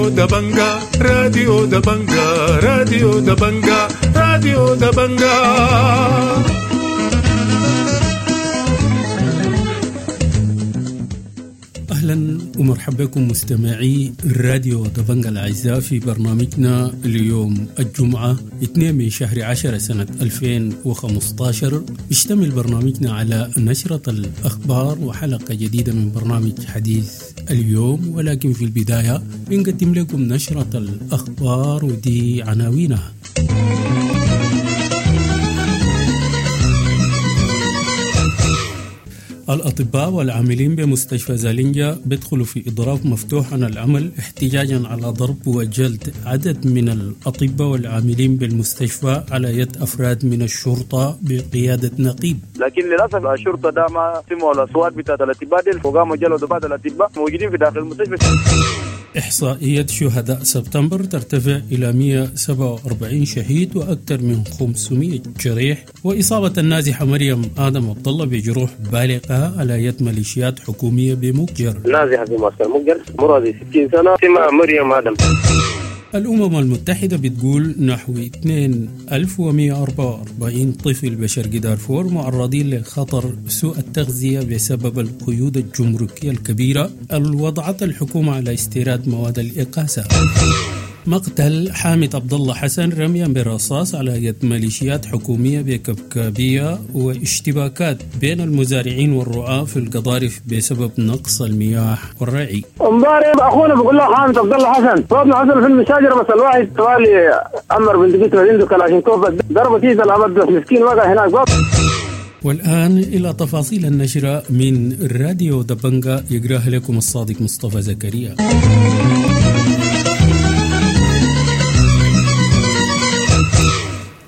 راديو دبنجا، راديو دبنجا، راديو دبنجا، راديو دبنجا. أهلا ومرحبا بكم مستمعي راديو دبنجا الأعزاء في برنامجنا اليوم الجمعة 2 من شهر 10 سنة 2015. يشتمل برنامجنا على نشرة الأخبار وحلقة جديدة من برنامج حديث اليوم، ولكن في البداية بنقدم لكم نشرة الأخبار ودي عناوينها. الأطباء والعاملين بمستشفى زالينجا بيدخلوا في إضراب مفتوح عن العمل احتجاجا على ضرب وجلد عدد من الأطباء والعاملين بالمستشفى على يد أفراد من الشرطة بقيادة نقيب. لكن للأسف الشرطة ده ما سمعوا الأصوات بتاعت الأطباء دي وقاموا جلدوا بعض الأطباء موجودين في داخل المستشفى. إحصائية شهداء سبتمبر ترتفع إلى 147 شهيد وأكثر من 500 جريح، وإصابة النازحة مريم آدم عبد الله بجروح بالغة على يد ميليشيات حكومية بمكجر. نازحة في معسكر مكجر عمرها 60 سنة اسمها مريم آدم. الأمم المتحدة بتقول نحو 2144 طفل بشرق دارفور معرضين لخطر سوء التغذية بسبب القيود الجمركية الكبيرة اللي وضعت الحكومة على استيراد مواد الإقاسة. مقتل حامد عبد الله حسن رميا بالرصاص على يد ميليشيات حكومية بكبكابية، واشتباكات بين المزارعين والرعاة في القضارف بسبب نقص المياه والرعي. امبارح اخونا بيقول له حامد عبد الله حسن صوتنا حصل في المشاجره، بس الواحد طوالي عمر بن دقيق عنده كلاشينكوف ضربه كيس الابد بس مسكين وقع هناك. والآن إلى تفاصيل النشرة من راديو دبنجا يقراها لكم الصادق مصطفى زكريا.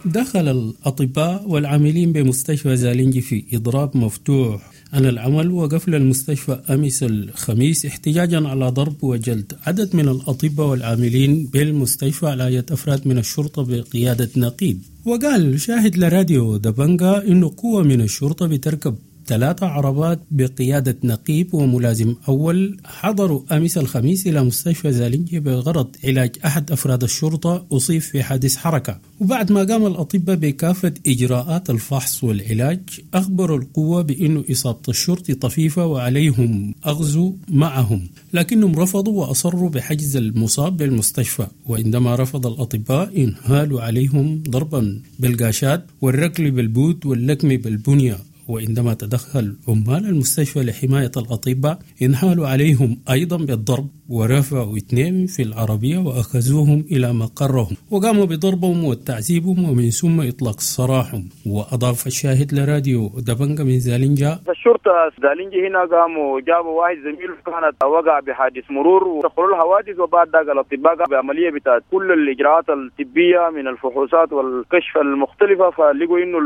دخل الأطباء والعاملين بمستشفى زالينجي في إضراب مفتوح عن العمل وقفل المستشفى أمس الخميس احتجاجا على ضرب وجلد عدد من الأطباء والعاملين بالمستشفى على يد أفراد من الشرطة بقيادة نقيب. وقال شاهد لراديو دبنجا إنه قوة من الشرطة بتركب 3 عربات بقيادة نقيب وملازم أول حضروا أمس الخميس إلى مستشفى زالينجي بغرض علاج أحد أفراد الشرطة أصيب في حادث حركة. وبعد ما قام الأطباء بكافة إجراءات الفحص والعلاج أخبروا القوة بأن إصابة الشرطي طفيفة وعليهم أخذ معهم، لكنهم رفضوا وأصروا بحجز المصاب بالمستشفى. وعندما رفض الأطباء انهالوا عليهم ضربا بالقاشات والركل بالبوت واللكم بالبنية. وعندما تدخل عمال المستشفى لحماية الأطباء انهالوا عليهم أيضا بالضرب ورفعوا 2 في العربية وأخذوهم إلى مقرهم وقاموا بضربهم وتعذيبهم ومن ثم إطلاق سراحهم. وأضاف الشاهد لراديو دبنجا من زالينجا: الشرطة زالينجا هنا قاموا جابوا واحد زميل كانت وقع بحادث مرور ودخلوا الحوادث، وبعد ذلك الأطباء بعملية بتاعت كل الإجراءات الطبية من الفحوصات والكشف المختلفة، فلقوا إنه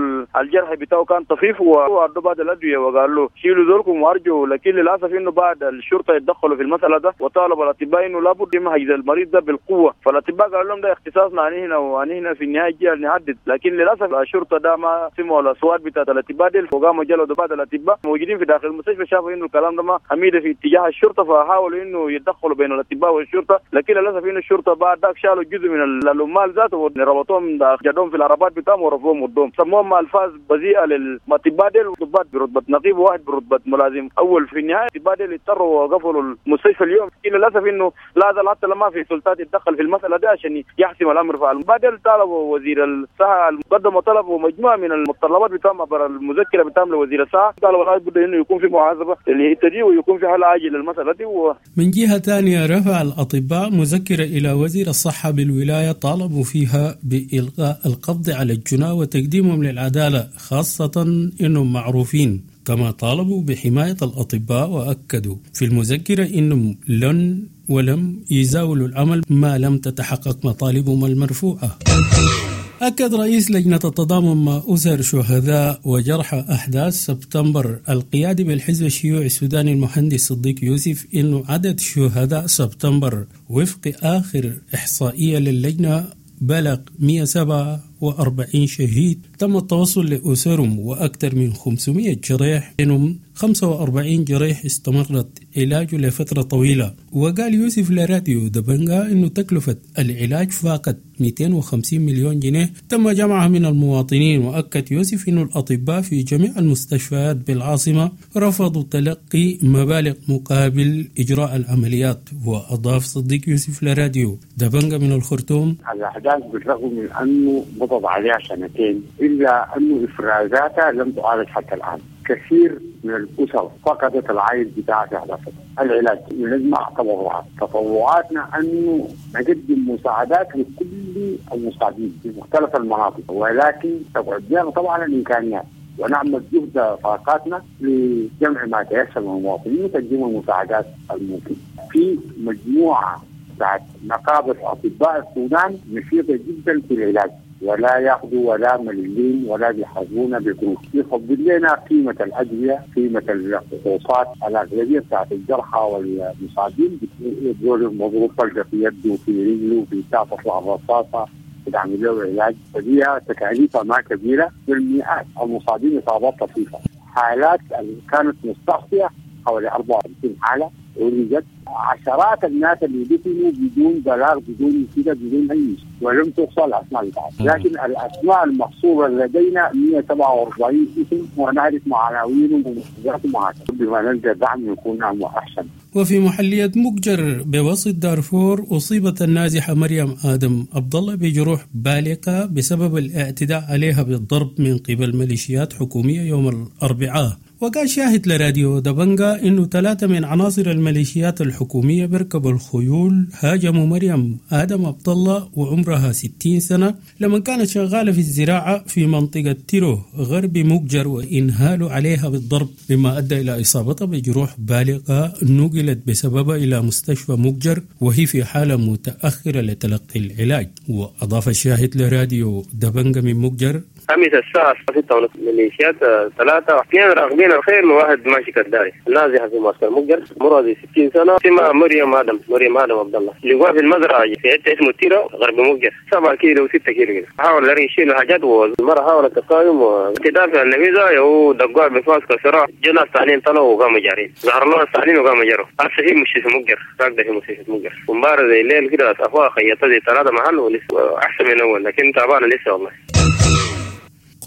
الجرح بتاعه كان طفيف وأدوا بعض الأدوية وقالوا شيلوا ذولكم وأرجوا. لكن للأسف إنه بعد الشرطة يتدخلوا في المسألة ده وطالب الأطباء إنه لابد من حجز المريض ده بالقوة، فالأطباء قالوا لهم ده اختصاصنا عن هنا وعن هنا في النهاية جاء نحدد. لكن للأسف الشرطة ده ما سمعوا الأصوات بتاعت الأطباء دي وقاموا جلدوا بعض الأطباء موجودين في داخل المستشفى، شافوا إنه الكلام ده ما حميدة في اتجاه الشرطة فحاولوا إنه يتدخلوا بين الأطباء والشرطة. لكن للأسف إنه الشرطة بعد ذاك شالوا جزء من العمال ذاته وربطوهم جدوهم في العربات بتاعهم ورفوهم قدام، سموهم ألفاظ بذيئة للأطباء ديل، ضباط برتبة نقيب وواحد برتبة ملازم أول. في النهاية الأطباء ديل اضطروا وقفلوا المستشفى اليوم. للأسف إنه لا زال حتى لما في سلطات يتدخل في المسألة دي عشان يحسم الأمر. فبعدين طالبوا وزير الصحة قدموا طلب ومجموعة من المتطلبات بتاعهم عبر المذكرة بتاعهم لوزير الصحة، قالوا والله بد إنه يكون في محاسبة للحتة دي ويكون في حل عاجل للمسألة دي. من جهة ثانية رفع الأطباء مذكرة إلى وزير الصحة بالولاية طالبوا فيها بإلغاء القبض على الجناة وتقديمهم للعدالة، خاصة إنهم معروفين. كما طالبوا بحماية الأطباء وأكدوا في المذكرة إنهم لن ولم يزاولوا العمل ما لم تتحقق مطالبهم المرفوعة. أكد رئيس لجنة التضامن مع أسر شهداء وجرحى أحداث سبتمبر القيادي بالحزب الشيوعي السوداني المهندس صديق يوسف إنه عدد شهداء سبتمبر وفق آخر إحصائية للجنة بلغ 147 45 شهيد تم التوصل لأسرهم، وأكثر من 500 جريح، منهم 45 جريح استمرت علاجه لفترة طويلة. وقال يوسف لراديو دبنجا أنه تكلفة العلاج فاقت 250 مليون جنيه تم جمعها من المواطنين. وأكد يوسف أن الأطباء في جميع المستشفيات بالعاصمة رفضوا تلقي مبالغ مقابل إجراء العمليات. وأضاف صديق يوسف لراديو دبنجا من الخرطوم: الأحداث بالرغم من أنه مضت عليها سنتين إلا أنه إفرازاتها لم تعالج حتى الآن. كثير من الأسر فقدت العائد بتاعها في هذا العلاج. نجمع تبرعات، تطوعاتنا أنه نقدم مساعدات لكل المصابين في مختلف المناطق، ولكن تقعد لنا طبعا الإمكانيات ونعمل جهد طاقاتنا لجمع ما تيسر من المواطنين وتقديم المساعدات الممكنة. في مجموعة بتاعت نقابة أطباء السودان نشيطة جدا في العلاج، ولا ياخذوا ولا مليين ولا بيحاسبونا بقروش، يفضل لنا قيمة الادوية، قيمة الفحوصات، الاغلبية بتاعت الجرحى والمصابين بيقولوا مضروب طلقه في يده في رجله في بتاع تطلع الرصاصة بتعمل له علاج، فدي تكاليفها ما كبيرة بالمئات المصابين اصابات طفيفة، حالات اللي كانت مستعصيه حوالي 54 حاله ولجت، عشرات الناس اللي دفنوا بدون بلاغ بدون كده بدون اي شيء ولم تحصى الاسماء بتاعتهم، لكن الاسماء المحصوره لدينا 147 اسم ونعرف عناوينهم ومحافظاتهم وهكذا، بما نلقى دعم يكون احسن. وفي محلية مقجر بوسط دارفور أصيبت النازحة مريم آدم عبد الله بجروح بالغة بسبب الاعتداء عليها بالضرب من قبل ميليشيات حكومية يوم الأربعاء. وقال شاهد لراديو دبنجا إنه 3 من عناصر الميليشيات الحكومية بركبوا الخيول هاجموا مريم آدم عبد الله وعمرها 60 سنة لما كانت شغالة في الزراعة في منطقة تيرو غرب مقجر، وإنهالوا عليها بالضرب مما أدى إلى إصابتها بجروح بالغة نقلت بسببها إلى مستشفى مقجر وهي في حالة متأخرة لتلقي العلاج. وأضاف الشاهد لراديو دبنجا من مقجر: أمس الساعة 6:30 ميليشيات 3 2 راكبين الخيل وواحد ماشي كداري نازحة في معسكر مقجر مرضي 60 سنة اسمها مريم آدم عبد الله، لقوها في المزرعة في حتة اسمه تيرا غرب مقجر 7 كيلو و6 كيلو كده. حاول يشيلوا حاجات والمرة حاولت تقاوم وتدافع عن النبيذة ودقوها بفاس كسرة، جو ناس ثانيين طلعوا وقاموا جارين، ظهر لهم الثانيين وقاموا جروا. هسه في مستشفى مقجر راكدة في مستشفى مقجر ومبارة زي الليل كده أخوها خيطت زي 3 محل ولسه أحسن من أول لكن تعبانة لسه والله.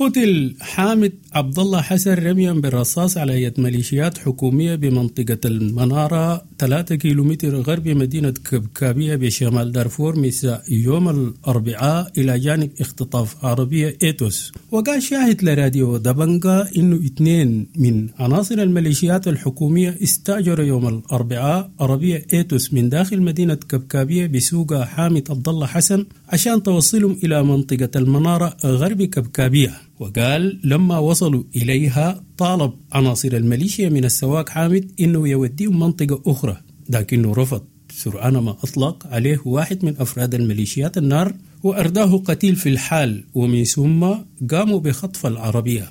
قتل حامد عبد الله حسن رميا بالرصاص على يد ميليشيات حكومية بمنطقة المنارة 3 كيلومتر غرب مدينة كبكابية بشمال دارفور مساء يوم الأربعاء إلى جانب اختطاف عربية إيتوس. وقال شاهد لراديو دبنجا إنه 2 من عناصر الميليشيات الحكومية استأجروا يوم الأربعاء عربية إيتوس من داخل مدينة كبكابية بسوق حامد عبد الله حسن عشان توصلهم إلى منطقة المنارة غرب كبكابية. وقال لما وصلوا إليها طالب عناصر الميليشيا من السواق حامد إنه يوديهم منطقة أخرى، لكنه رفض. سرعان ما أطلق عليه واحد من أفراد الميليشيات النار وأرداه قتيل في الحال، ومن ثم قاموا بخطف العربية،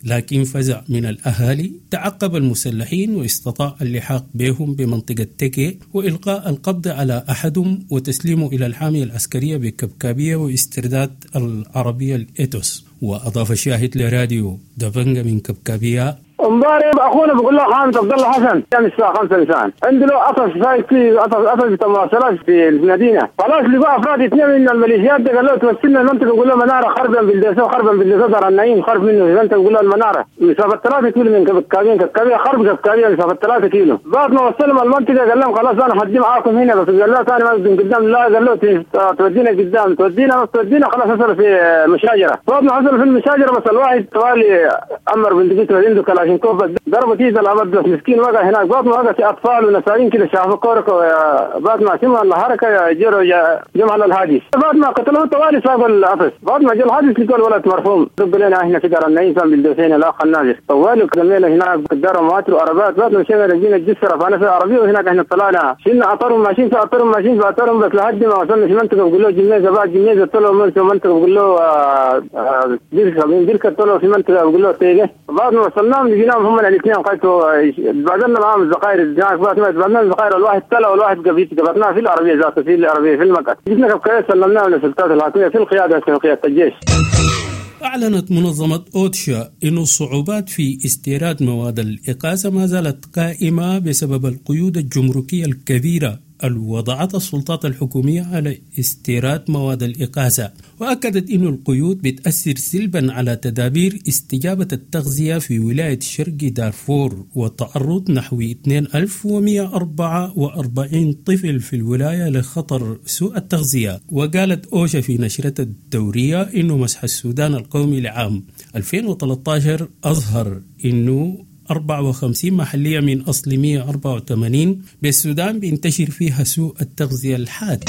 لكن فزع من الأهالي تعقب المسلحين واستطاع اللحاق بهم بمنطقة تكي وإلقاء القبض على أحدهم وتسليمه إلى الحامية العسكرية بكبكابية واسترداد العربية الإيتوس. وأضاف الشاهد لراديو دبنجا من كبكابية: امبارح اخونا بيقول له حامد عبد الله حسن كان الساعة 5 مساء عنده له قفص في قفص مواصلات في المدينة، خلاص لقوا افراد 2 من الميليشيات قال له توصلنا المنطقة، بيقول له منارة خربا بالدسو خربا بالدسو دار النعيم خرب منه في المنطقة، بيقول له المنارة مسافة 3 كيلو من كبكابيه خرب كبكابيه مسافة 3 كيلو. بعد ما وصلهم المنطقة قال لهم خلاص انا هدي معاكم هنا، بس قال له ثاني ما قدام، لا قال له تودينا قدام تودينا بس تودينا خلاص حصل في مشاجره. بعد ما حصل في المشاجره بس الواحد طوالي امر بندقيته عنده كلاشينكوف ضربت ايد الابد بس مسكين وقع هناك. بعد ما وقع في اطفال ونساوين كده شافوا كورك بعد ما سمعوا الحركة جروا جم على الحادث، بعد ما قتلوه طوالي ساقوا القفص. بعد ما جاء الحادث لقوا الولد مرحوم دق لنا احنا في دار النعيم بالدوسين الاخ النازل طوالي قدمنا هناك قدروا مواتر وعربات. بعد ما مشينا لقينا الجسر رفعنا في العربية وهناك احنا طلعنا شلنا اطرهم ماشيين في اطرهم ماشيين في اطرهم بس لحد ما وصلنا في منطقة بقول له جميزه، بعد جميزه طلعوا من في منطقة بقول له بركة طلعوا في منطقة بقول له تيجي. بعد ما وصلناهم لقيناهم هم الاثنين قالوا بعدنا معاهم الزقاير هناك، بعد ما بعدنا الزقاير الواحد طلع والواحد قبضناه في العربية ذاته في العربية في المقعد جبنا كبكايه سلمناه للسلطات الحاكمية في القيادة في قيادة الجيش. أعلنت منظمة أوتشا أن الصعوبات في استيراد مواد الإغاثة ما زالت قائمة بسبب القيود الجمركية الكبيرة الوضعتها السلطات الحكومية على استيراد مواد الإغاثة. وأكدت أن القيود بتأثر سلبا على تدابير استجابة التغذية في ولاية شرق دارفور، وتعرض نحو 2144 طفل في الولاية لخطر سوء التغذية. وقالت أوشا في نشرتها الدورية أنه مسح السودان القومي لعام 2013 أظهر أنه 54 محلية من أصل 184 بالسودان بينتشر فيها سوء التغذية الحاد.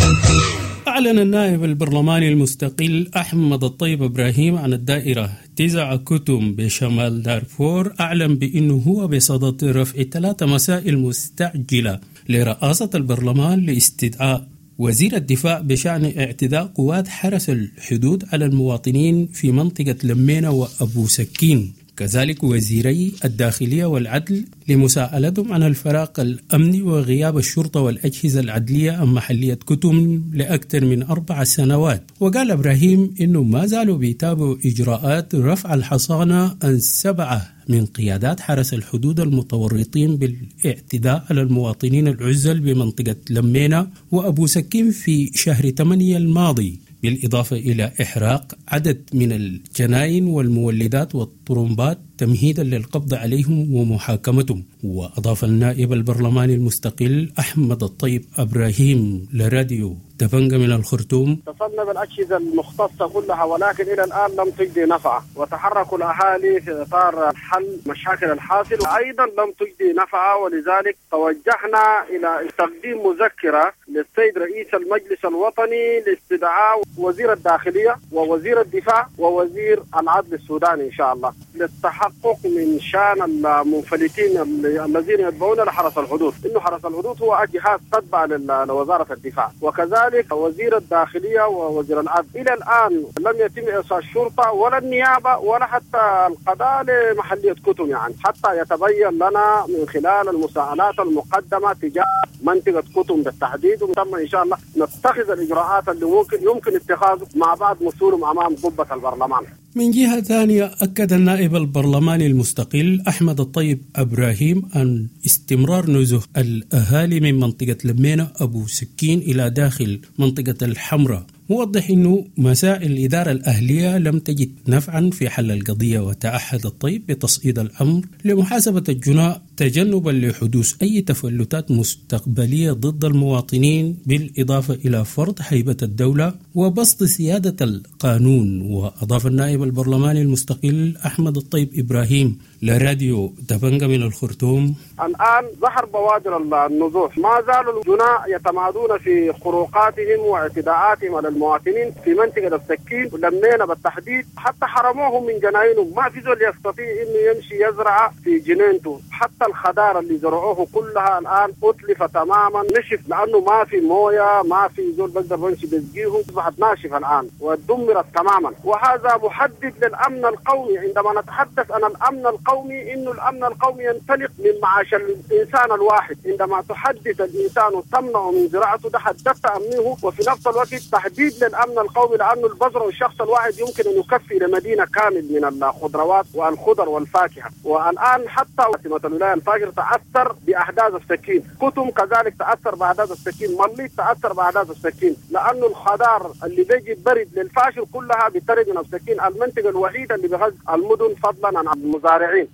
أعلن النائب البرلماني المستقل أحمد الطيب إبراهيم عن الدائرة 9 كتم بشمال دارفور، أعلن بأنه هو بصدد رفع 3 مسائل مستعجلة لرئاسة البرلمان لاستدعاء وزير الدفاع بشأن اعتداء قوات حرس الحدود على المواطنين في منطقة لمينة وأبو سكين، كذلك وزيري الداخلية والعدل لمساءلتهم عن الفراغ الأمني وغياب الشرطة والأجهزة العدلية عن محلية كتم لأكثر من 4 سنوات. وقال إبراهيم إنه ما زالوا بيتابعوا إجراءات رفع الحصانة عن 7 من قيادات حرس الحدود المتورطين بالاعتداء على المواطنين العزل بمنطقة لمينة وأبو سكين في شهر 8 الماضي، بالإضافة إلى إحراق عدد من الجناين والمولدات والطرمبات تمهيدا للقبض عليهم ومحاكمتهم. وأضاف النائب البرلماني المستقل أحمد الطيب إبراهيم لراديو دبنجة من الخرطوم: اتصلنا بالأجهزة المختصة كلها ولكن إلى الآن لم تجدي نفعة، وتحركوا الأهالي في إطار حل مشاكل الحاصل أيضا لم تجدي نفعة، ولذلك توجهنا إلى تقديم مذكرة للسيد رئيس المجلس الوطني لاستدعاء وزير الداخلية ووزير الدفاع ووزير العدل السوداني إن شاء الله للتحقق من شان المنفلتين الذين يتبعون لحرس الحدود، إنه حرس الحدود هو جهاز تتبع لوزارة الدفاع، وكذلك وزير الداخلية ووزير العدل. إلى الآن لم يتم إرسال الشرطة ولا النيابة ولا حتى القضاء لمحلية كتم، يعني حتى يتبين لنا من خلال المساءلات المقدمة تجاه منطقة كتم بالتحديد، وتم إن شاء الله نتخذ الإجراءات اللي يمكن اتخاذه مع بعض مسؤولهم أمام قبة البرلمان. من جهة ثانية، أكد النائب البرلماني المستقل أحمد الطيب إبراهيم أن استمرار نزوح الأهالي من منطقة لمينة أبو سكين إلى داخل منطقة الحمراء، موضح أنه مسائل الإدارة الأهلية لم تجد نفعا في حل القضية. وتعهد الطيب بتصعيد الأمر لمحاسبة الجناء تجنبا لحدوث أي تفلتات مستقبلية ضد المواطنين، بالإضافة إلى فرض هيبة الدولة وبسط سيادة القانون. وأضاف النائب البرلماني المستقل أحمد الطيب إبراهيم لراديو دبنجة من الخرطوم: الآن ظهر بوادر النزوح، ما زالوا الجناء يتمادون في خروقاتهم واعتداءاتهم على المواطنين في منطقة السكين ولمينا بالتحديد، حتى حرموهم من جناينهم، ما في زول يستطيع إنه يمشي يزرع في جنينته، حتى الخضار اللي زرعوه كلها الآن أتلف تماما، نشف لأنه ما في موية، ما في زول بقدر يمشي بيسقيه، أصبحت ناشفة الآن ودمرت تماما. وهذا محدد للأمن القومي. عندما نتحدث عن الأمن القومي، إنه الأمن القومي ينطلق من معاش الإنسان الواحد. عندما تحدث الإنسان وتمنعه من زراعته، ده حددت أمنه، وفي نفس الوقت تحديد للأمن القومي، لأنه البذر والشخص الواحد يمكن أن يكفي لمدينة كامل من الخضروات والخضر والفاكهة. والآن حتى عاصمة الولاية الفاجر تأثر بأحداث السكين، كتم كذلك تأثر بأحداث السكين، مليط تأثر بأحداث السكين، لأنه الخضار اللي بيجي برد للفاشل كلها بترد من السكين، المنطقة الوحيدة اللي بغز المدن فضلا عن المزارعين.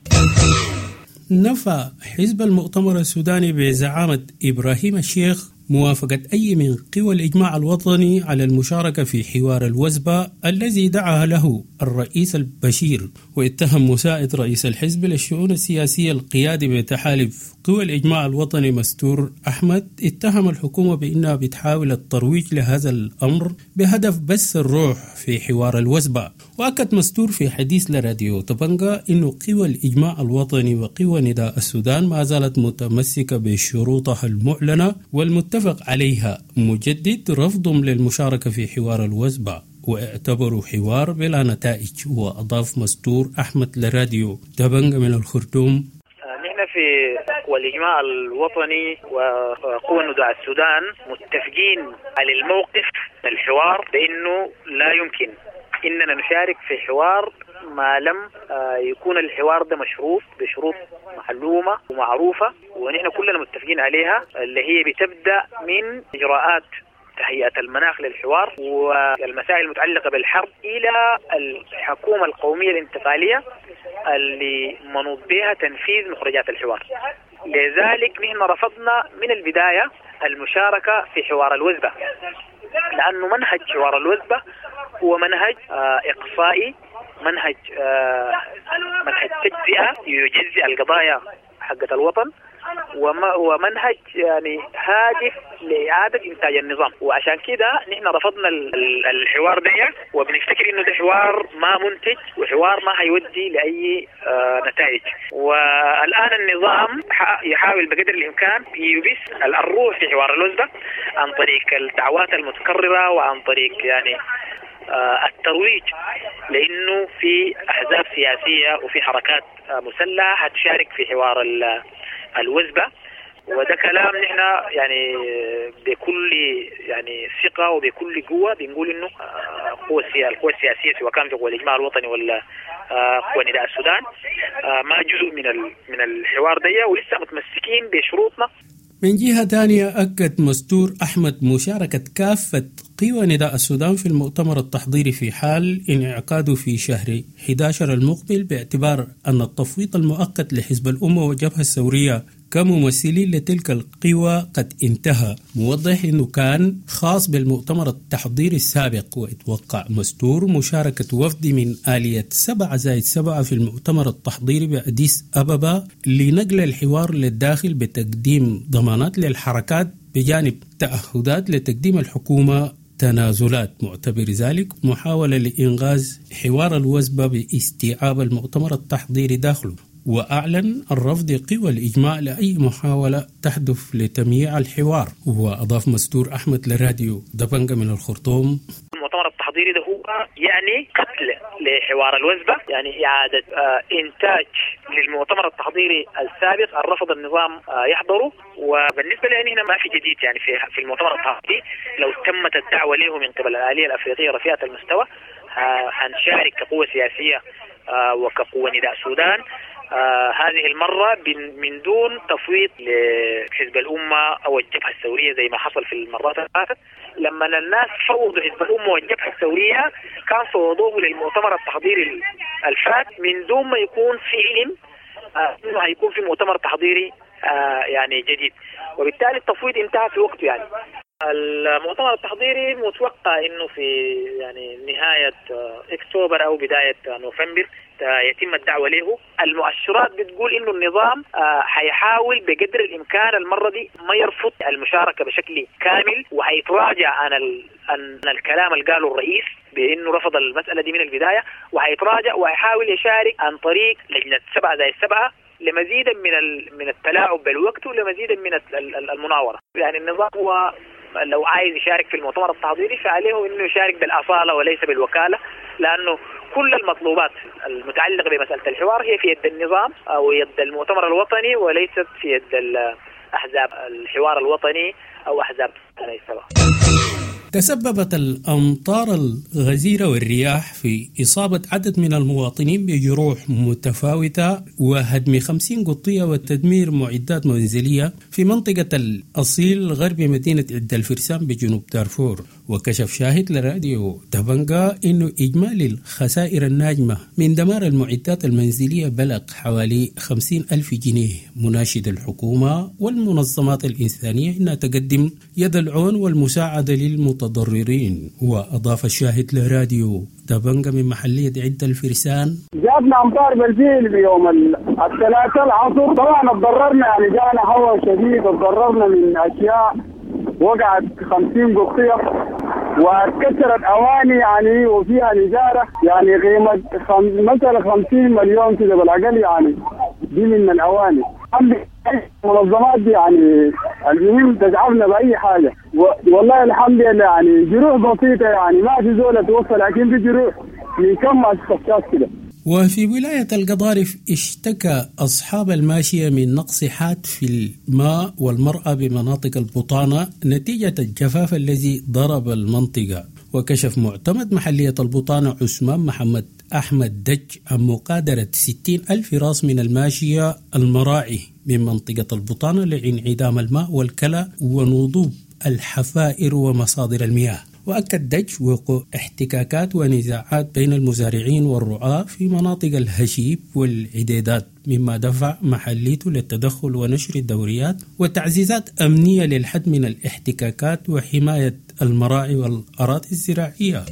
نفى حزب المؤتمر السوداني بزعامة إبراهيم الشيخ موافقة أي من قوى الإجماع الوطني على المشاركة في حوار الوزبة الذي دعا له الرئيس البشير، واتهم مساعد رئيس الحزب للشؤون السياسية القيادي بتحالف قوى الإجماع الوطني مستور أحمد، اتهم الحكومة بأنها بتحاول الترويج لهذا الأمر بهدف بس الروح في حوار الوزبة. وأكد مستور في حديث لراديو طبنجة أن قوى الإجماع الوطني وقوى نداء السودان ما زالت متمسكة بشروطها المعلنة والمتفق عليها، مجدد رفضهم للمشاركة في حوار الوزبة واعتبروا حوار بلا نتائج. وأضاف مستور أحمد لراديو دبنجة من الخرطوم: نحن في قوى الإجماع الوطني وقوى نداء السودان متفقين على الموقف الحوار بأنه لا يمكن اننا نشارك في حوار ما لم يكون الحوار ده مشروط بشروط معلومة ومعروفة ونحن كلنا متفقين عليها، اللي هي بتبدأ من إجراءات تهيئة المناخ للحوار والمسائل المتعلقة بالحرب إلى الحكومة القومية الانتقالية اللي منوط بها تنفيذ مخرجات الحوار. لذلك نحن رفضنا من البداية المشاركة في حوار الوزبة، لأنه منهج حوار الوزبة هو منهج إقصائي، منهج تجزئة يجزئ القضايا حقة الوطن، ومنهج يعني هادف لإعادة إنتاج النظام. وعشان كده نحن رفضنا الحوار ده، وبنفتكر إنه ده حوار ما منتج وحوار ما هيودي لأي نتائج. والآن النظام يحاول بقدر الإمكان يبث الروح في حوار الوزبة عن طريق الدعوات المتكررة وعن طريق يعني الترويج، لأنه في أحزاب سياسية وفي حركات مسلحة هتشارك في حوار الوزبة. وده كلام نحن يعني بكل يعني ثقة وبكل قوة بنقول إنه القوى السياسية سواء كان في قوى الإجماع الوطني ولا قوى نداء السودان ما جزء من الحوار ده، ولسه متمسكين بشروطنا. من جهة ثانية، أكد مستور أحمد مشاركة كافة قوى نداء السودان في المؤتمر التحضيري في حال انعقاده في شهر 11 المقبل، باعتبار أن التفويض المؤقت لحزب الأمة والجبهة الثورية كممثلين لتلك القوى قد انتهى، موضح أنه كان خاص بالمؤتمر التحضيري السابق. واتوقع مستور مشاركة وفد من آلية 7+7 في المؤتمر التحضيري بأديس أبابا لنقل الحوار للداخل بتقديم ضمانات للحركات بجانب تعهدات لتقديم الحكومة تنازلات، معتبر ذلك محاولة لإنغاز حوار الوزبة باستيعاب المؤتمر التحضيري داخله. وأعلن الرفض قوى الإجماع لأي محاولة تهدف لتمييع الحوار. وأضاف مستور أحمد لراديو دبنجة من الخرطوم: المؤتمر التحضيري ده هو يعني قتل لحوار الوزبة، يعني إعادة إنتاج للمؤتمر التحضيري السابق الرفض النظام يحضره. وبالنسبة لي هنا ما في جديد يعني في المؤتمر التحضيري، لو تمت الدعوة له من قبل الآلية الأفريقية رفيعة المستوى هنشارك كقوة سياسية وكقوة نداء السودان هذه المرة من دون تفويض لحزب الأمة أو الجبهة الثورية زي ما حصل في المرات اللي فاتت. لما الناس فوضوا حزب الأمة والجبهة الثورية كان فوضوه للمؤتمر التحضيري الفات من دون ما يكون في علم إنه هيكون في مؤتمر تحضيري يعني جديد، وبالتالي التفويض انتهى في وقته. يعني المؤتمر التحضيري متوقع انه في يعني نهاية اكتوبر او بداية نوفمبر يتم الدعوة له. المؤشرات بتقول انه النظام حيحاول بقدر الامكان المرة دي ما يرفض المشاركة بشكل كامل، وحيتراجع عن الكلام اللي قاله الرئيس بانه رفض المسألة دي من البداية، وحيتراجع وحيحاول يشارك عن طريق لجنة 7+7 لمزيدا من التلاعب بالوقت ولمزيدا من المناورة. يعني النظام هو لو عايز يشارك في المؤتمر التحضيري فعليه انه يشارك بالاصاله وليس بالوكاله، لانه كل المطلوبات المتعلقه بمساله الحوار هي في يد النظام او يد المؤتمر الوطني وليست في يد احزاب الحوار الوطني او احزاب السبعه. تسببت الأمطار الغزيرة والرياح في إصابة عدد من المواطنين بجروح متفاوتة وهدم 50 قطية وتدمير معدات منزلية في منطقة الأصيل غرب مدينة عد الفرسان بجنوب دارفور. وكشف شاهد لراديو دبنجا أنه إجمالي الخسائر الناجمة من دمار المعدات المنزلية بلغ حوالي 50 ألف جنيه، مناشد الحكومة والمنظمات الإنسانية أنها تقدم يد العون والمساعدة للمتضررين. وأضاف الشاهد لراديو دبنجا من محلية عد الفرسان: جاتنا أمطار بالفيل في يوم الثلاثاء العصر، طبعا اتضررنا، يعني جانا هواء شديد، اتضررنا من أشياء، وقعت 50 قطية وكسرت أواني يعني وفيها نجارة يعني قيمة مثلا 50 مليون كده بالأقل، يعني دي من الأواني. المنظمات دي يعني المهم تدعمنا بأي حاجة، والله الحمد لله يعني جروح بسيطة، يعني ما في زولة توصل، لكن في جروح من كم أشخاص كده. وفي ولاية القضارف اشتكى أصحاب الماشية من نقص حاد في الماء والمرأة بمناطق البطانة نتيجة الجفاف الذي ضرب المنطقة. وكشف معتمد محلية البطانة عثمان محمد أحمد دج عن مقادرة 60 ألف راس من الماشية المراعي من منطقة البطانة لانعدام الماء والكلى ونضوب الحفائر ومصادر المياه. وأكد دج وقوع احتكاكات ونزاعات بين المزارعين والرعاة في مناطق الهشيب والعديدات، مما دفع محليته للتدخل ونشر الدوريات وتعزيزات أمنية للحد من الاحتكاكات وحماية المراعي والأراضي الزراعية.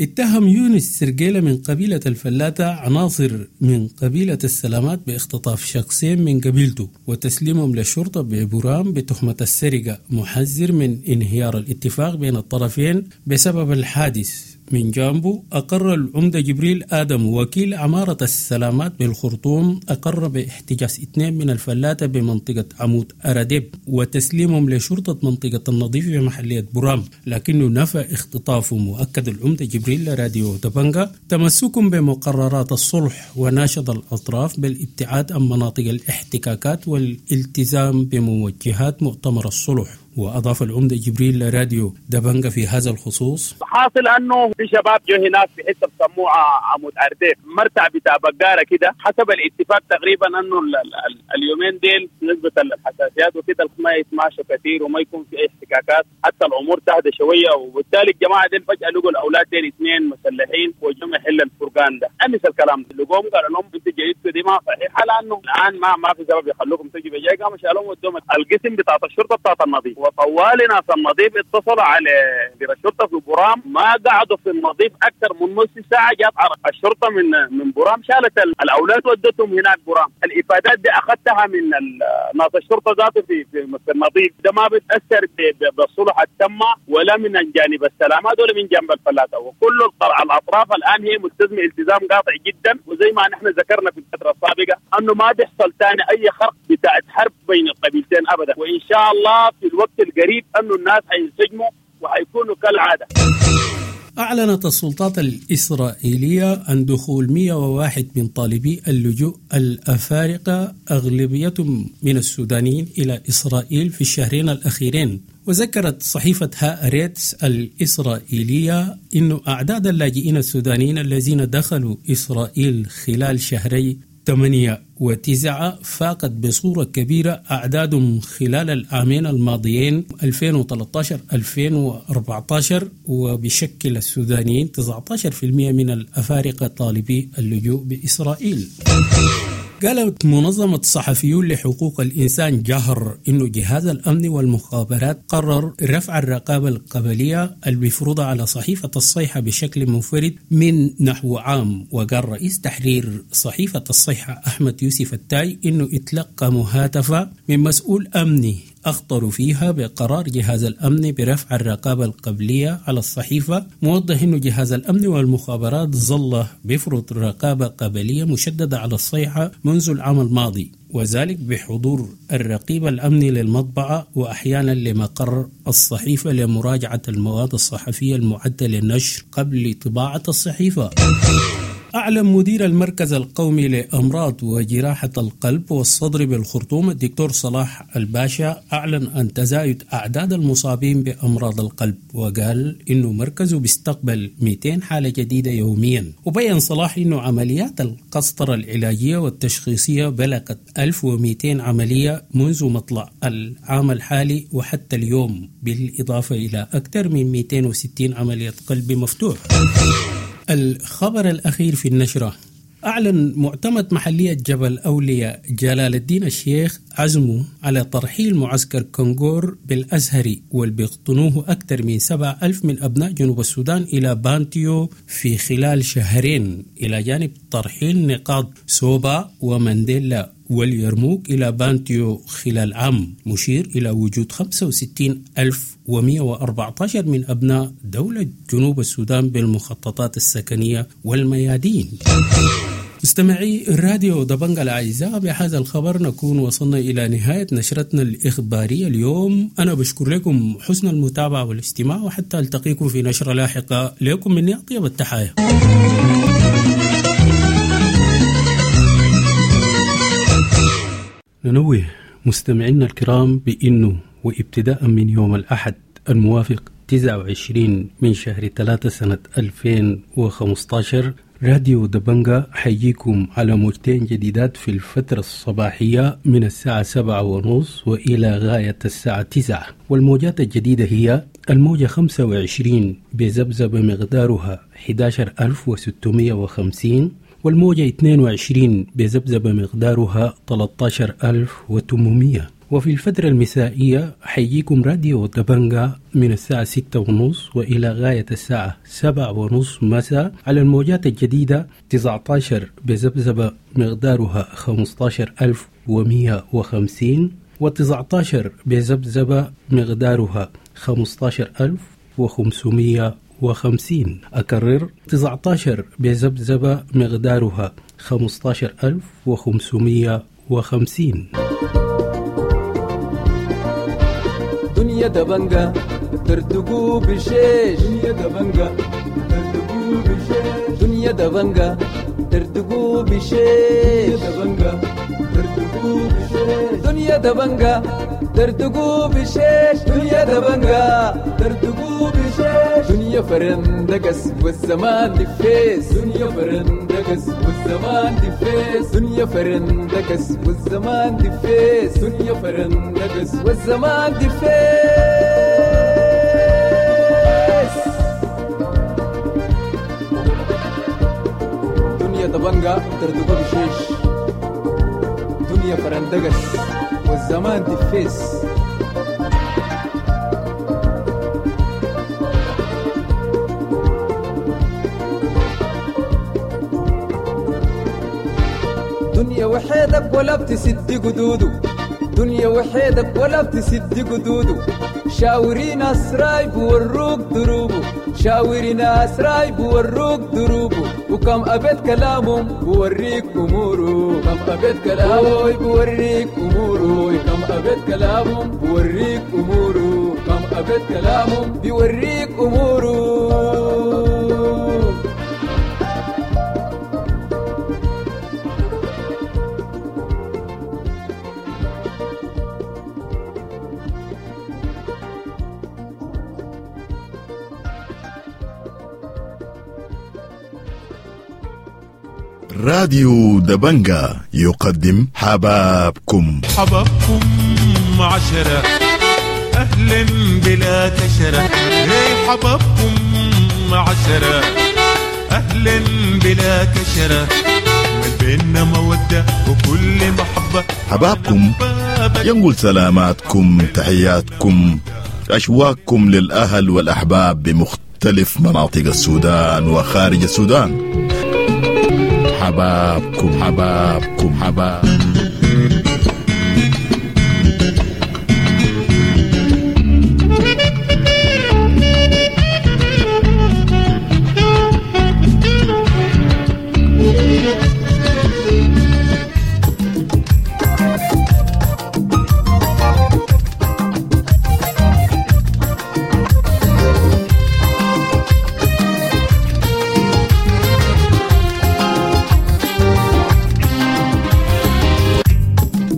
اتهم يونس سرقيلة من قبيلة الفلاتة عناصر من قبيلة السلامات باختطاف شخصين من قبيلته وتسليمهم للشرطة ببرام بتهمة السرقة، محذر من انهيار الاتفاق بين الطرفين بسبب الحادث. من جانبه أقر العمدة جبريل آدم وكيل عمارة السلامات بالخرطوم أقر باحتجاز 2 من الفلاتة بمنطقة عمود أراديب وتسليمهم لشرطة منطقة النظيف بمحلية برام، لكنه نفى اختطافهم. وأكد العمدة جبريل لراديو دبنجا تمسكهم بمقررات الصلح وناشد الأطراف بالابتعاد عن مناطق الاحتكاكات والالتزام بموجهات مؤتمر الصلح. وأضاف العمدة جبريل لراديو دبنجا في هذا الخصوص: حاصل أنه في شباب جو هناك في حتة بسموها عمود أرديف، مرتع بتاع بقارة كده. حسب الاتفاق تقريبا أنه اليومين ديل نسبة الحساسيات وكده ما يتماشوا كثير وما يكون في أي احتكاكات حتى الأمور تهدى شوية. وبالتالي الجماعة ديل فجأة لقوا الأولاد ديل 2 مسلحين وجم يحل الفرقان ده. أمس الكلام ده لقوهم قالوا لهم أنتوا جيتوا دي ما صحيحة، لأنه الآن ما في سبب يخلوكم تجوا بجاي. قاموا شالوهم ودوهم القسم بتاعت الشرطة بتاعت النظيف، وطوال ناس النظيف اتصلوا على الشرطة في برام، ما قعدوا في النظيف اكثر من نص ساعة، جات الشرطة من برام شالت الاولاد ودتهم هناك برام. الافادات دي اخذتها من ناس الشرطة ذاته في النظيف. ده ما بتاثر بالصلح التم ولا من جانب السلامات ولا من جانب الفلاته، وكل الاطراف الان هي ملتزمة التزام قاطع جدا. وزي ما نحن ذكرنا في الفترة السابقة انه ما بيحصل ثاني اي خرق بتاعت حرب بين القبيلتين ابدا، وان شاء الله في الوقت القريب انه الناس حينسجموا وحيكونوا كالعادة. أعلنت السلطات الإسرائيلية عن دخول 101 من طالبي اللجوء الأفارقة أغلبيتهم من السودانيين إلى إسرائيل في الشهرين الأخيرين. وذكرت صحيفة هآرتس الإسرائيلية أن أعداد اللاجئين السودانيين الذين دخلوا إسرائيل خلال شهري 8 و9 فاقت بصورة كبيرة أعدادهم خلال العامين الماضيين 2013-2014، وبشكل السودانيين 19% من الأفارقة طالبي اللجوء بإسرائيل. قالت منظمة صحفيون لحقوق الإنسان جهر إنه جهاز الأمن والمخابرات قرر رفع الرقابة القبلية المفروضة على صحيفة الصيحة بشكل منفرد من نحو عام. وقال رئيس تحرير صحيفة الصيحة أحمد يوسف التاي إنه اتلقى مهاتفة من مسؤول أمني أخطر فيها بقرار جهاز الأمن برفع الرقابة القبلية على الصحيفة، موضح أن جهاز الأمن والمخابرات ظل بفرض رقابة قبلية مشددة على الصيحة منذ العام الماضي، وذلك بحضور الرقيب الأمني للمطبعة وأحيانا لمقر الصحيفة لمراجعة المواد الصحفية المعدة للنشر قبل طباعة الصحيفة. أعلن مدير المركز القومي لأمراض وجراحة القلب والصدر بالخرطوم الدكتور صلاح الباشا أعلن عن تزايد أعداد المصابين بأمراض القلب، وقال إنه مركزه بيستقبل 200 حالة جديدة يوميا. وبين صلاح إنه عمليات القسطرة العلاجية والتشخيصية بلغت 1200 عملية منذ مطلع العام الحالي وحتى اليوم، بالإضافة إلى أكثر من 260 عملية قلب مفتوح. الخبر الأخير في النشرة: أعلن معتمد محلية جبل أولياء جلال الدين الشيخ عزمه على ترحيل معسكر كونغور بالأزهري والبيقطنوه أكثر من 7000 من أبناء جنوب السودان إلى بانتيو في خلال شهرين، إلى جانب ترحيل نقاط سوبا ومانديلا واليرموك إلى بانتيو خلال عام، مشير إلى وجود 65,114 من أبناء دولة جنوب السودان بالمخططات السكنية والميادين. مستمعي راديو دبنجا الأعزاء، بهذا الخبر نكون وصلنا إلى نهاية نشرتنا الإخبارية اليوم. أنا بشكر لكم حسن المتابعة والاستماع، وحتى ألتقيكم في نشرة لاحقة. لكم مني أطيب التحايا. ننوه مستمعينا الكرام بأنه وابتداء من يوم الأحد الموافق 29 من شهر 3 سنة 2015. راديو دبنجا حيجيكم على موجتين جديدات في الفترة الصباحية من الساعة 7:30 وإلى غاية الساعة 9، والموجات الجديدة هي الموجة 25 بذبذبة مقدارها 11650، والموجة 22 بذبذبة مقدارها 13800. وفي الفترة المسائية حيجيكم راديو دبنجا من الساعة 6:30 وإلى غاية الساعة 7:30 مساء على الموجات الجديدة 19 بذبذبة مقدارها 15150، و19 بذبذبة مقدارها 15550. أكرر، 19 بذبذبة مقدارها 15550. دنيا دبنجا ترتقو بشيش، دنيا دبنجا ترتقو بشيش، دنيا دبنجا ترتقو بشيش، دبنجا ترتقو بشيش، دنيا دبنجا ترتقو بشيش، دنيا دبنجا ترتقو بشيش، دنيا فرندقس والزمان دفيس، دنيا فرندقس والزمان دفيس، دنيا فرندقس والزمان دفيس، دنيا فرندقس والزمان دفيس. دنيا دبنجا ترتقو بشيش، دنيا فرندقس والزمان دفيس. دنيا وحيدك ولا بتسد قدوده، دنيا وحيدك ولا بتسد قدوده، شاوري ناس رايب وروك دروبه، شاوري ناس رايب وروك دروبه، وكم أبيت كلامهم بوريك أموره، كم أبيت كلامه بوريك أموره، كم أبيت كلامهم بوريك أموره، كم أبيت كلامهم بيوريك أموره. راديو دبنجا يقدم حبابكم. حبابكم 10 أهلا بلا كشرة، حبابكم 10 أهلا بلا كشرة، من بيننا مودة وكل محبة. حبابكم ينقل سلاماتكم، تحياتكم، أشواقكم للأهل والأحباب بمختلف مناطق السودان وخارج السودان. حبابكم حبابكم حباب.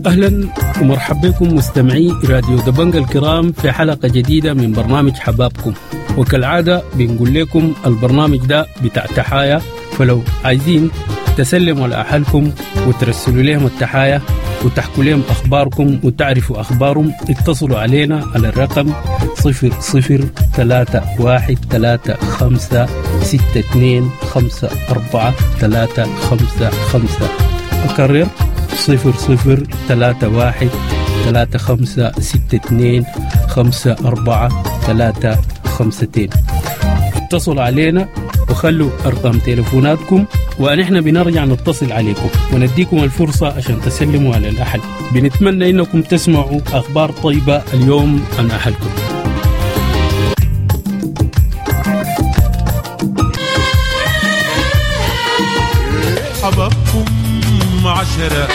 أهلا ومرحبا بكم مستمعي راديو دبنجا الكرام في حلقة جديدة من برنامج حبابكم. وكالعادة بنقول لكم البرنامج ده بتاع تحايا، فلو عايزين تسلموا على أهلكم وترسلوا لهم التحايا وتحكوا لهم أخباركم وتعرفوا أخبارهم، اتصلوا علينا على الرقم 00 3 1 3 5 6 2 5 4 3 5 5. أكرر 00 3 1 3 5 6 2 5 4 3 5 2. اتصلوا علينا وخلوا أرقام تليفوناتكم ونحن بنرجع نتصل عليكم ونديكم الفرصة عشان تسلموا على الأهل. بنتمنى إنكم تسمعوا أخبار طيبة اليوم عن أهلكم. حبابكم 10.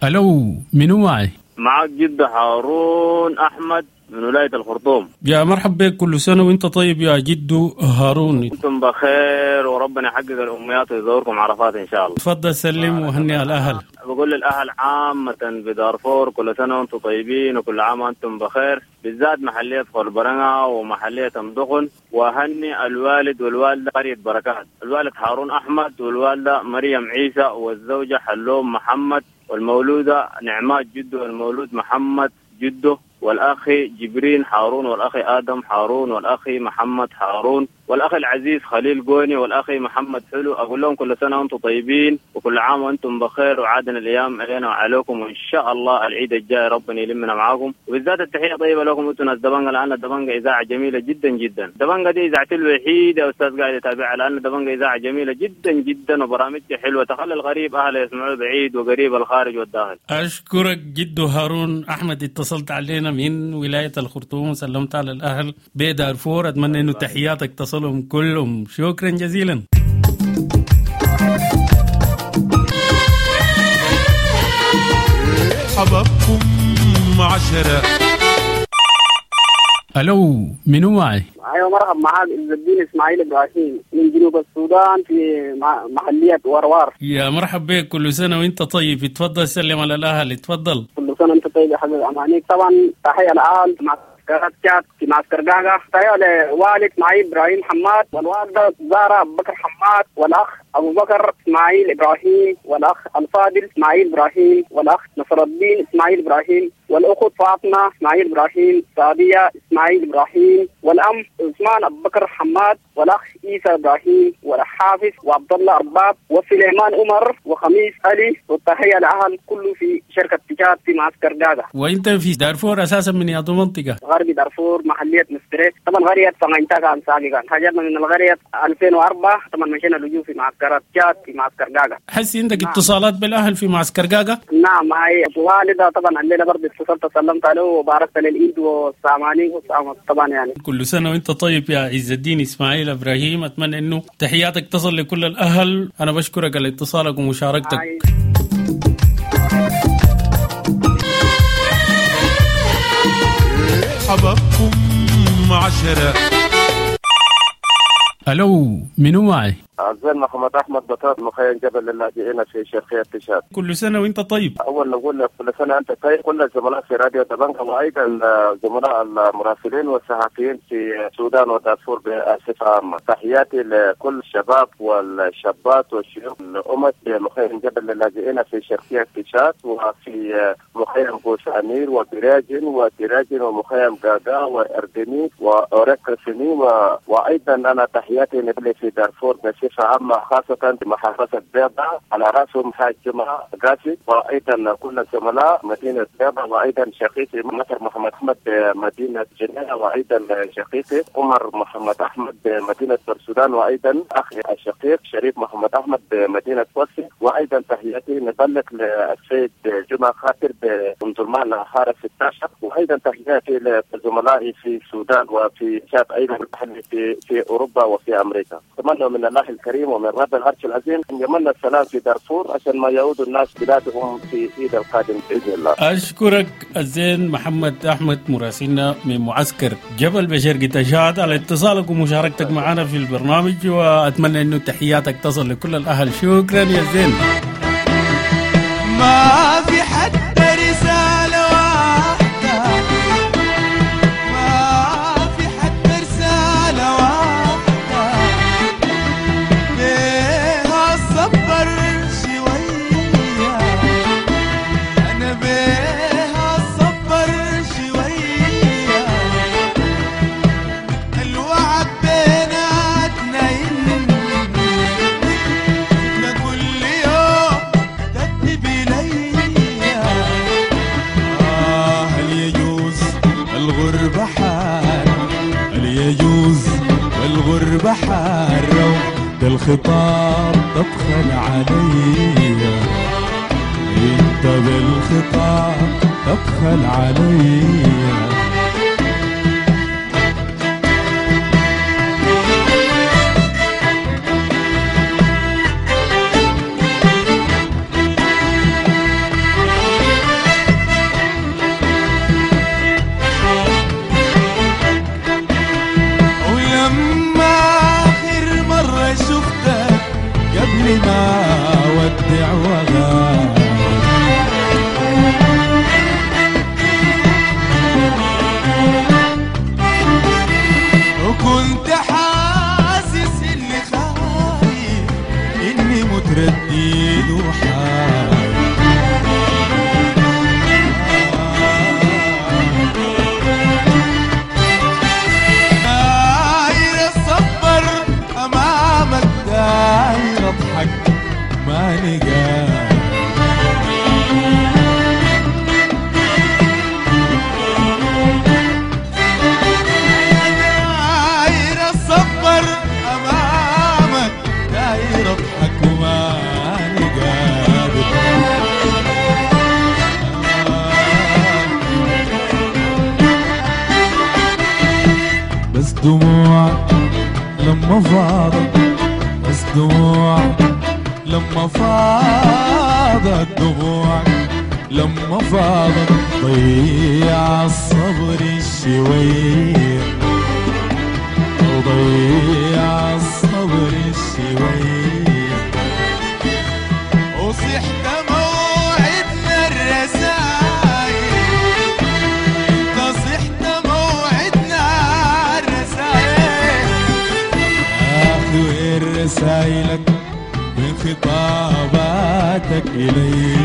ألو، منو معي؟ معك جد هارون أحمد من ولاية الخرطوم. يا مرحب بك، كل سنة وانت طيب يا جدو هارون. انتم بخير وربنا يحقق الأمنيات ويزوركم عرفات إن شاء الله. تفضل سلم وهني الأهل. بقول للأهل عامة بدارفور كل سنة وانتم طيبين وكل عام وانتم بخير، بالذات محلية خربرنة ومحلية أمدخن. وهني الوالد والوالدة قرية بركات، الوالد هارون أحمد والوالدة مريم عيسى والزوجة حلوم محمد والمولودة نعمات جده والمولود محمد جده والأخي جبرين هارون والأخي آدم هارون والأخي محمد هارون والأخي العزيز خليل قوني والأخي محمد حلو. أقول لهم كل سنة وأنتم طيبين وكل عام وأنتم بخير، وعادنا الأيام علينا وعليكم، وإن شاء الله العيد الجاي ربنا يلمنا معاكم. وبالذات التحية طيبة لكم أنتم ناس دبنجة، لأن دبنجة إذاعة جميلة جدا جدا. دبنجة دي إذاعتي الوحيدة يا أستاذ قاعد يتابعها، لأن دبنجة إذاعة جميلة جدا جدا وبرامجها حلوة تخلي الغريب أهله يسمعوه بعيد وقريب الخارج والداخل. أشكرك جدو هارون أحمد، اتصلت علينا من ولاية الخرطوم وسلمت على الأهل بدارفور. أتمنى أنه تحياتك تصلهم كلهم. شكرا جزيلا. حبابكم 10. ألو، منو معي؟ أيوة مرحبا، معاك عز الدين إسماعيل إبراهيم من جنوب السودان في محلية وروار. يا مرحبا بك، كل سنة وأنت طيب. اتفضل سلم على الأهل، اتفضل. كل سنة وأنت طيب يا حبيبي أمانيك. طبعا تحية للأهل مع تشاد في معسكر قاقة، تحية لوالد إسماعيل إبراهيم حماد والوالدة زارة أبو بكر حماد والأخ أبو بكر إسماعيل إبراهيم والأخ الفاضل إسماعيل إبراهيم والأخ نصر الدين إسماعيل إبراهيم والأخت فاطمة إسماعيل إبراهيم سعدية إسماعيل إبراهيم والأم عثمان أبو بكر حماد والأخ عيسى إبراهيم والحافظ وعبد الله أرباب وسليمان عمر وخميس علي. والتحية لأهل كله في شركة تشاد في معسكر قاقة. وأنت في دارفور أساسا من يا منطقة؟ غرب دارفور محلية مستري، طبعا قرية سمعتها كان سابقا، هاجرنا من القرية 2004، طبعا مشينا لجوء في معسكرات تشاد في معسكر قاقة. حسي عندك اتصالات بالأهل في معسكر قاقة؟ نعم، هاي والدة طبعا الليلة برضه اتصلت سلمت عليه وباركت للعيد والساماني طبعا يعني. كل سنة وانت طيب يا عز الدين إسماعيل إبراهيم، أتمنى إنه تحياتك تصل لكل الأهل. أنا بشكرك على اتصالك ومشاركتك. حبابكم 10. ألو، منو معي؟ عزيز محمد أحمد بطاط مخيم جبل اللاجئين في شرقية تشاد. كل سنة وأنت طيب. أول نقول كل سنة أنت طيب، كل الزملاء في راديو دبنجة وأيضا زملاء المراسلين والصحفيين في السودان ودارفور بصفة عامة. تحياتي لكل الشباب والشابات والشيوخ الأمة في مخيم جبل اللاجئين في شرقية تشاد وفي مخيم بوسامير وبراجن وتراجن ومخيم غاغا وأردني وأوريكرسني وأيضا أنا تحياتي لكل في دارفور بصفة عامة، خاصة محافظة بيضة على رأسهم حاج جمعة قاسي، وأيضا كل الزملاء مدينة بيضة، وأيضا شقيقي مطر محمد أحمد بمدينة جنينة، وأيضا شقيقي عمر محمد أحمد بمدينة السودان، وأيضا أخي الشقيق شريف محمد أحمد بمدينة وصي. وأيضا تحياتي نبلغ للسيد جمعة خاطر بأم حارة 16، وأيضا تحياتي لزملائي في السودان وفي شاب أيضا في أوروبا وفي أمريكا. أتمنى من الله الكريم ومن رب العرش العظيم أن يمن السلام في دارفور عشان ما يعود الناس بلادهم في عيد القادم بإذن الله. أشكرك الزين محمد أحمد مراسلنا من معسكر جبل بشرق تشاد على اتصالك ومشاركتك معنا في البرنامج، وأتمنى أنه تحياتك تصل لكل الأهل. شكرا يا زين. ما في حتى رسالة واحدة، ما في حتى رسالة واحدة بيها الصبر شوية، أنا بيها الصبر شوية، الوعد بيناتنا ينمي كل يوم تكتب لي. هل يجوز الغربة حار، هل يجوز الغربة حارة ده الخطاب تبخل علي، انت بالخطاب تبخل علي. لما فاضت بس دموعك، لما فاضت دموعك، لما فاضت ضيع الصبر شوية، ضيع الصبر شوية. وصحت موعدنا الرسايل، انت صحت موعدنا الرسايل، اخي وين رسايلك وين خطاباتك إلي،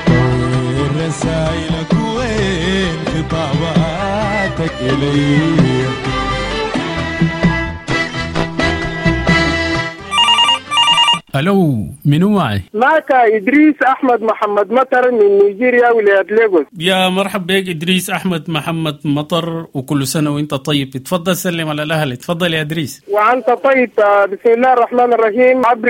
وين رسايلك وين خطاباتك إلي. الو، منو معي؟ معك إدريس أحمد محمد مطر من نيجيريا ولاية ليغوس. يا مرحب بك إدريس أحمد محمد مطر، وكل سنة وانت طيب. اتفضل سلم على الأهل. اتفضل يا إدريس. وأنت طيب. بسم الله الرحمن الرحيم. عبر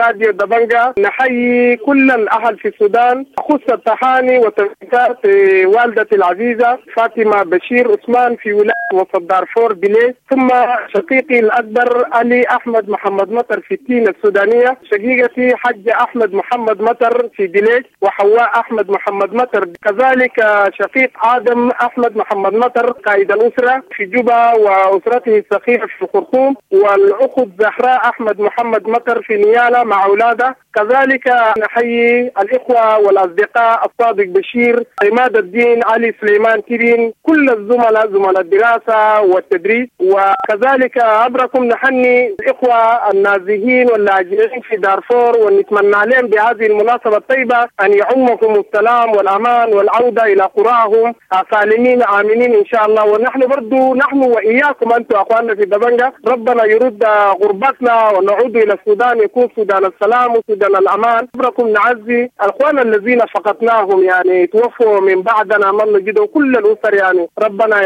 راديو دبنجا نحيي كل الأهل في السودان، أخص التهاني وتبريكات والدتي العزيزة فاطمة بشير عثمان في ولاية وسط دارفور بليس، ثم شقيقي الأكبر علي أحمد محمد مطر في التين السودانية، شقيقتي حج أحمد محمد مطر في دليس، وحواء أحمد محمد مطر، كذلك شقيق آدم أحمد محمد مطر قائد الأسرة في جوبا وأسرته الصغيرة في الخرطوم، والأخت زهراء أحمد محمد مطر في نيالا مع أولاده. كذلك نحيي الإخوة والأصدقاء الصادق بشير، عماد الدين، علي سليمان تيرين، كل الزملاء زملاء الدراسة والتدريس. وكذلك عبركم نحني الإخوة النازحين واللاجئين في دارفور، ونتمنى عليهم بهذه المناسبة الطيبة أن يعمكم السلام والأمان والعودة إلى قراهم سالمين آمنين إن شاء الله. ونحن برضو نحن وإياكم أنتم أخواننا في دبنجة، ربنا يرد غربتنا ونعود إلى السودان، يكون سودان السلام وسودان الأمان. عبركم نعزي الأخوان الذين فقدناهم، يعني توفوا من بعدنا من نجدهم كل الأسر، يعني ربنا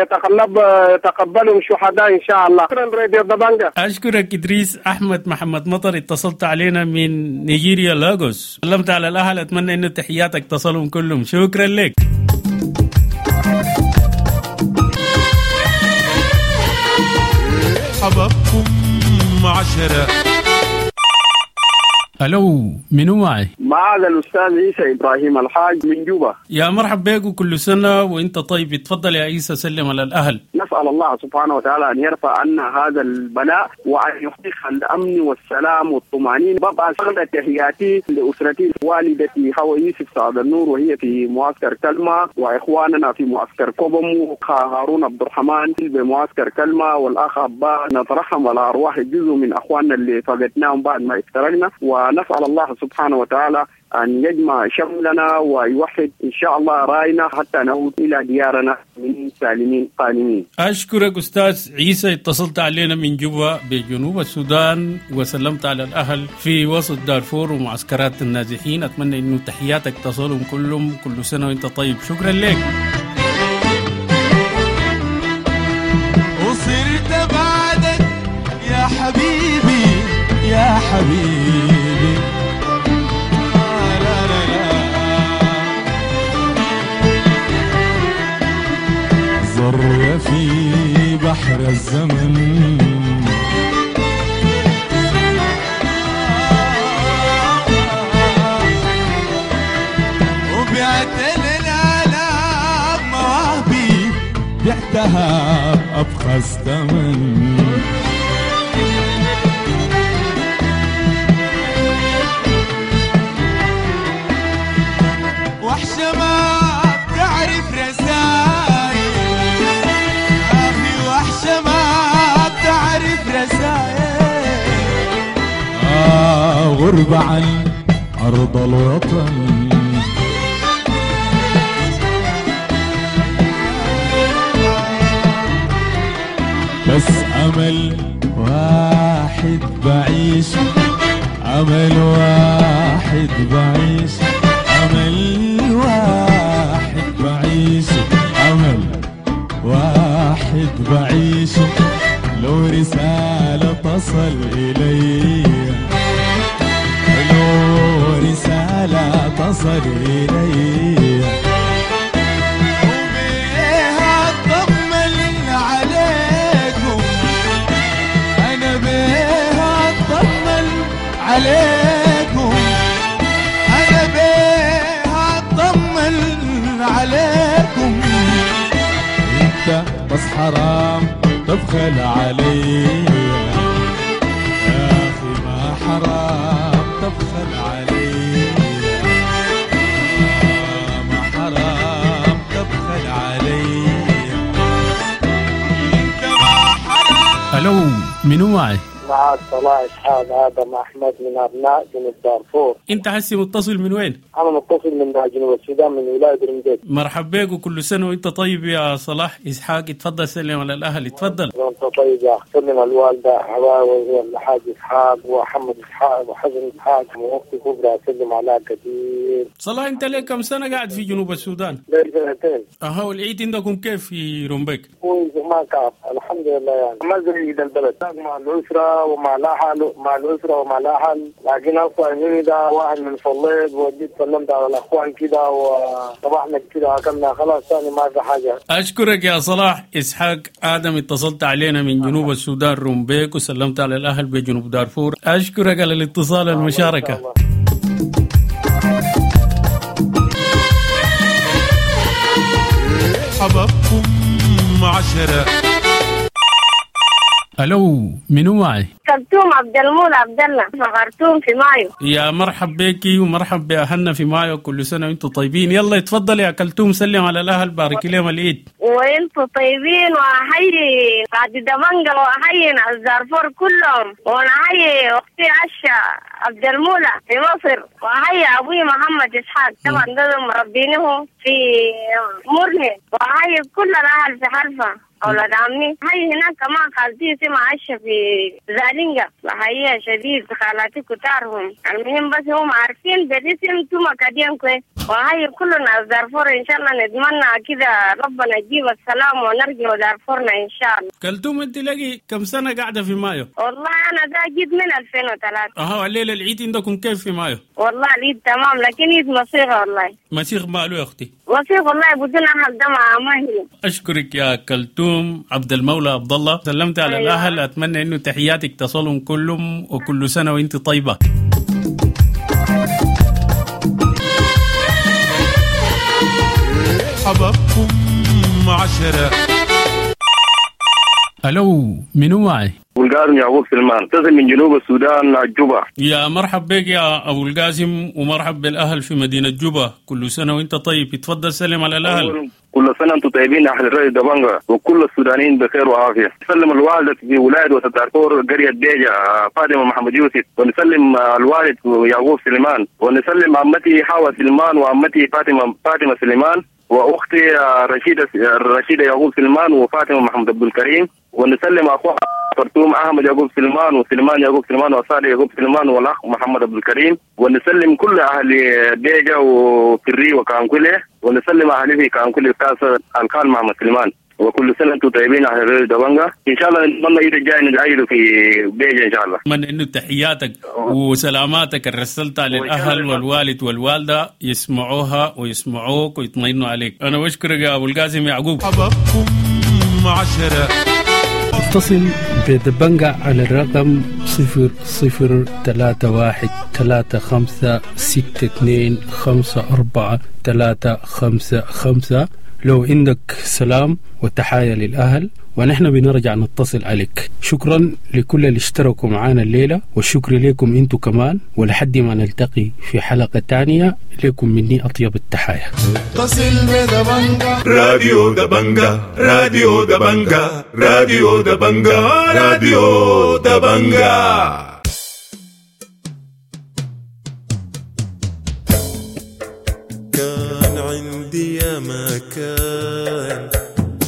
يتقبلهم شهداء إن شاء الله. شكرا راديو دبنجة. أشكرك إدريس أحمد محمد مطر، اتصلت علينا من نيجيريا لاغوس، سلمت على الأهل، أتمنى أن تحياتك تصلهم كلهم. شكرا لك. حبابكم 10. الو، منو معي؟ معك الاستاذ عيسى ابراهيم الحاج من جوبا. يا مرحب بك وكل سنه وانت طيب. اتفضل يا عيسى سلم على الاهل. نسال الله سبحانه وتعالى ان يرفع عنا هذا البلاء وان يحقق الامن والسلام والطمانينه. ببقى شغله تحياتي لاسرتي، والدتي حواء يوسف سعد النور وهي في معسكر كلمه، واخواننا في معسكر كوبم، هارون عبد الرحمن بمعسكر كلمه، والاخ عباس. نترحم على ارواح جزء من اخواننا اللي فقدناهم بعد ما افترقنا، ونسأل الله سبحانه وتعالى أن يجمع شملنا ويوحد إن شاء الله رأينا حتى نعود إلى ديارنا من سالمين قانمين. أشكرك أستاذ عيسى، اتصلت علينا من جوبا بجنوب السودان وسلمت على الأهل في وسط دارفور ومعسكرات النازحين. أتمنى أنه تحياتك تصلهم كلهم. كل سنة وأنت طيب. شكرا لك. وصرت بعدك يا حبيبي يا حبيبي، لا لا لا، ذرة في بحر الزمن، وبعت للآلام مواهبي، بعتها بأبخس ثمن. وحشة ما بتعرف رسايل أخي، وحشة ما بتعرف رسايل، غربة عن أرض الوطن. بس أمل واحد بعيش، أمل واحد بعيش، أمل واحد بعيش، أمل واحد بعيش، لو رسالة تصل إلي، لو رسالة تصل إلي، وبيها أطمن عليكم، حرام تبخل علي، يا أخي ما حرام تبخل علي، ما حرام تبخل علي. ألو، منو معي؟ معك صلاح إسحاق آدم أحمد من أبناء جنوب دارفور. أنت حسي متصل من وين؟ أنا متصل من جنوب السودان، من ولاية رمديت. مرحب بك وكل سنة وأنت طيب يا صلاح إسحاق. اتفضل سلم على الأهل. اتفضل. وأنت طيب يا أخي. سلم الوالدة حواوي والحاج إسحاق ومحمد إسحاق وحسن إسحاق وأختي كبرى، سلم على كثير. صلاح، أنت لك كم سنة قاعد في جنوب السودان؟ لي سنتين. أها، والعيد عندكم كيف في رمبيك؟ كويس وما كعب الحمد لله، يعني ما زي عيد البلد مع الأسرة ومع الأهل، مع الأسرة ومع الأهل. لكن أصلا إني ده واحد من صليت وجيت سلمت على الأخوان كده وصباحنا كده أكلنا خلاص، ثاني ما في حاجة. أشكرك يا صلاح إسحاق آدم، اتصلت علينا من جنوب السودان رمبيك وسلمت على الأهل بجنوب دارفور. أشكرك على الاتصال المشاركة. حبابكم 10. ألو، منو معي؟ كلثوم عبد المولى عبد الله في خرطوم في مايو. يا مرحب بيكي ومرحب بأهلنا في مايو، كل سنة وانتم طيبين. يلا اتفضل يا كلثوم، سلم على الأهل، بارك لهم العيد. وانتم طيبين، وأحيي بعد دمنجل وأحيي ناس دارفور كلهم، ونحيي أختي عشا عبد المولى في مصر، وأحيي أبوي محمد إسحاق طبعا ده مربينه في مرني، وأحيي كل الأهل في حلفة أولاد عمي. هاي هناك كمان خالتي اسمها عشة في زالينجا، بحييها شديد، خالاتي كتارهم. المهم بس هم عارفين بالاسم توما كدين كويس. وهاي كلنا دارفور إن شاء الله، نتمنى كده ربنا يجيب السلام ونرجع دارفورنا إن شاء الله. كلثوم، أنت لقي كم سنة قاعدة في مايو؟ والله أنا ده جيت من 2003. أها، الليلة العيد عندكم كيف في مايو؟ والله العيد تمام، لكن عيد مصيغة والله. مصيغ ماله يا أختي؟ مصيغ والله بدون أهل ده مع ماهي. أشكرك يا كلثوم عبد المولى عبد الله، سلمت على أيوة. الأهل، أتمنى إنه تحياتك تصلهم كلهم، وكل سنة وأنت طيبة. حبابكم 10. ألو، منو معي؟ أبو القاسم يعقوب سلمان، اتصل من جنوب السودان جوبا. يا مرحب بك يا أبو القاسم، ومرحب بالأهل في مدينة جوبا، كل سنة وأنت طيب. اتفضل سلم على الأهل. كل سنة أنتم طيبين أهل الرأي دبنجا، وكل السودانيين بخير وعافية. نسلم الوالدة في ولاية وسط دارفور قرية بيجا فاطمة محمد يوسف، ونسلم الوالد يعقوب سليمان، ونسلم عمتي حوا سليمان وعمتي فاطمة سليمان، وأختي رشيدة يعقوب سليمان وفاطمة محمد عبد الكريم، ونسلم أخوها خرطوم أحمد يعقوب سليمان وسليمان يعقوب سليمان وصالح يعقوب سليمان والأخ محمد عبد الكريم، ونسلم كل أهل بيجا وفري وكانكولي، ونسلم أهل في كانكولي كاس الخال محمد سليمان. وكل سنة أنتم طيبين أهل دبنجا، إن شاء الله نتمنى العيد الجاي نعيده في بيجا إن شاء الله. أتمنى إنه تحياتك وسلاماتك اللي رسلتها للأهل والوالد والوالدة يسمعوها ويسمعوك ويطمئنوا عليك. أنا بشكرك يا أبو القاسم يعقوب. حبابكم 10. اتصل بدبنجا على الرقم 0031 35 62 54 355 لو عندك سلام وتحايا للأهل، ونحن بنرجع نتصل عليك. شكرا لكل اللي اشتركوا معانا الليلة، والشكر لكم انتو كمان، ولحد ما نلتقي في حلقة تانية لكم مني أطيب التحايا. اتصل بدبنجا، راديو دبنجا، راديو دبنجا، راديو دبنجا، راديو دبنجا. كان عندي يا مكان،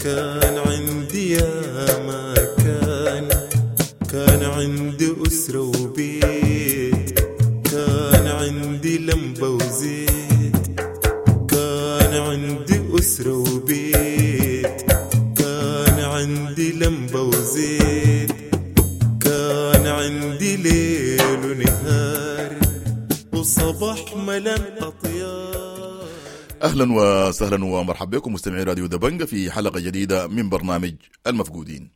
كان عندي يا مكان، كان عندي أسرة وبيت، كان عندي لمبة وزيت، كان عندي أسرة وبيت، كان عندي لمبة وزيت، كان عندي ليل ونهار وصباح ملان أطيار. أهلا وسهلا ومرحبا بكم مستمعي راديو دبنجا في حلقة جديدة من برنامج المفقودين.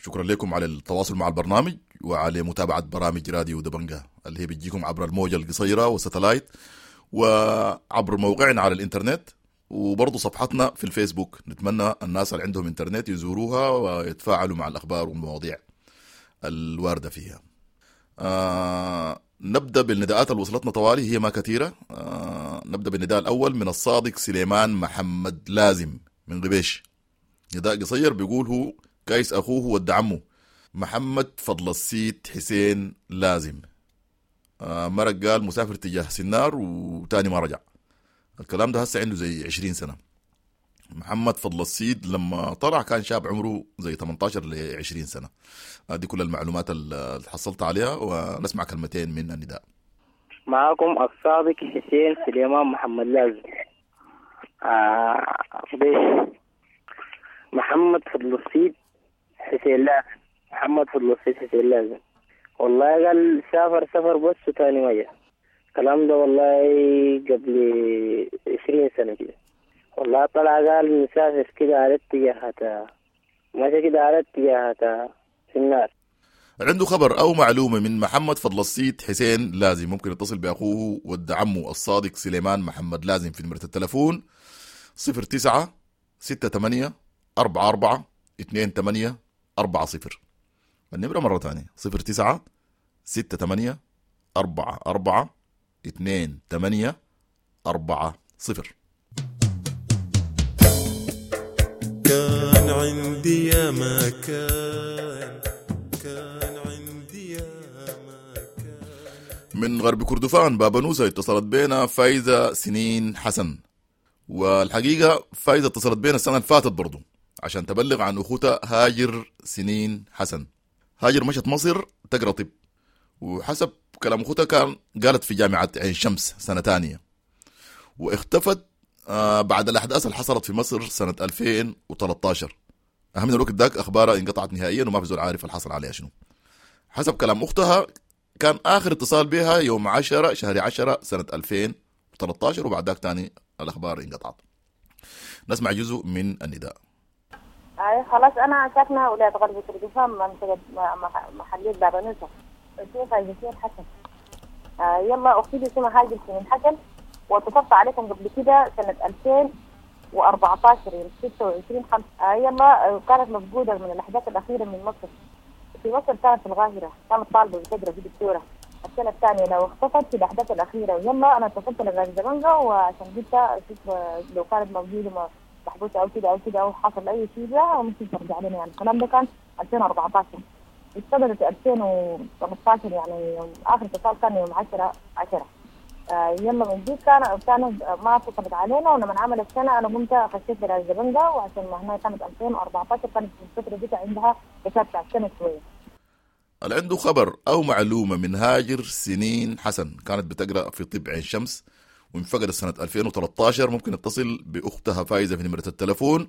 شكرا لكم على التواصل مع البرنامج وعلى متابعة برامج راديو دبنجا اللي هي بتجيكم عبر الموجة القصيرة والستلايت وعبر موقعنا على الإنترنت وبرضه صفحتنا في الفيسبوك. نتمنى الناس اللي عندهم انترنت يزوروها ويتفاعلوا مع الأخبار والمواضيع الواردة فيها. نبدأ بالنداءات اللي وصلتنا طوالي، هي ما كثيرة. نبدأ بالنداء الأول من الصادق سليمان محمد لازم من غبيش. نداء قصير بيقول هو كايس أخوه ود عمه محمد فضل السيد حسين لازم. مرق قال مسافر تجاه سنار وتاني ما رجع. الكلام ده هسه عنده زي 20 سنة. محمد فضل السيد لما طلع كان شاب عمره زي 18 ل 20 سنة. دي كل المعلومات اللي حصلت عليها، ونسمع كلمتين من النداء. معاكم الصادق حسين سليمان محمد لازم. بيش محمد فضل السيد حسين لازم، محمد فضل السيد حسين لازم. والله قال سافر سفر بس وتاني ما جا. الكلام ده والله قبل 20 سنة كده. والله طلع قال مسافر كده على اتجاهات، ماشي كده على اتجاهات في النار. عنده خبر أو معلومة من محمد فضل السيد حسين لازم ممكن يتصل بأخوه ود عمه الصادق سليمان محمد لازم في نمرة التلفون 09 68 44 28 40. النمرة مرة ثانية 09 68 44 28 40. كان عندي يا ما كان، كان عندي يا ما كان. من غرب كردفان بابنوسة اتصلت بينا فايزة سنين حسن. والحقيقة فايزة اتصلت بينا السنة اللي فاتت برضو عشان تبلغ عن أخوتها هاجر سنين حسن. هاجر مشت مصر تقرأ طب، وحسب كلام أخوتها كان قالت في جامعة عين شمس سنة تانية، واختفت بعد الأحداث اللي حصلت في مصر سنة 2013. أهم من الوقت ذاك أخبارها انقطعت نهائيا وما في زول عارف اللي حصل عليها شنو. حسب كلام أختها كان آخر اتصال بها يوم 10 شهر 10 سنة 2013، وبعد ذاك تاني الأخبار انقطعت. نسمع جزء من النداء. أي خلاص أنا ساكنة ولاية غرب كردفان منطقة محلية بابنوسة، اسمي فايزة سنين حسن. يلا أختي دي اسمها هاجر سنين حسن، واتصلت عليكم قبل كده سنة 2014 يوم 26/5. يلا كانت مفقودة من الأحداث الأخيرة من مصر. في مصر كانت في القاهرة، كانت طالبة بتقرأ في دكتورة السنة الثانية. لو اختفت في الأحداث الأخيرة، ويلا أنا اتصلت لغاية زمانها وعشان قلت أشوف لو كانت موجودة محبوسة أو كده أو كده أو حصل أي شيء لها ممكن ترجع لنا. يعني الكلام ده كان 2014، اشتغلت 2018، يعني آخر اتصال كان يوم 10/10. يلا من دي كان ما اتصلت علينا. ولما عملت سنة أنا قمت خشيت للزبنجة، وعشان ما هنا كانت 2014 كانت في الفترة دي عندها حساب بتاع سنة شوية. اللي عنده خبر أو معلومة من هاجر سنين حسن كانت بتقرأ في طب عين شمس وانفقدت سنة 2013، ممكن يتصل بأختها فايزة في نمرة التلفون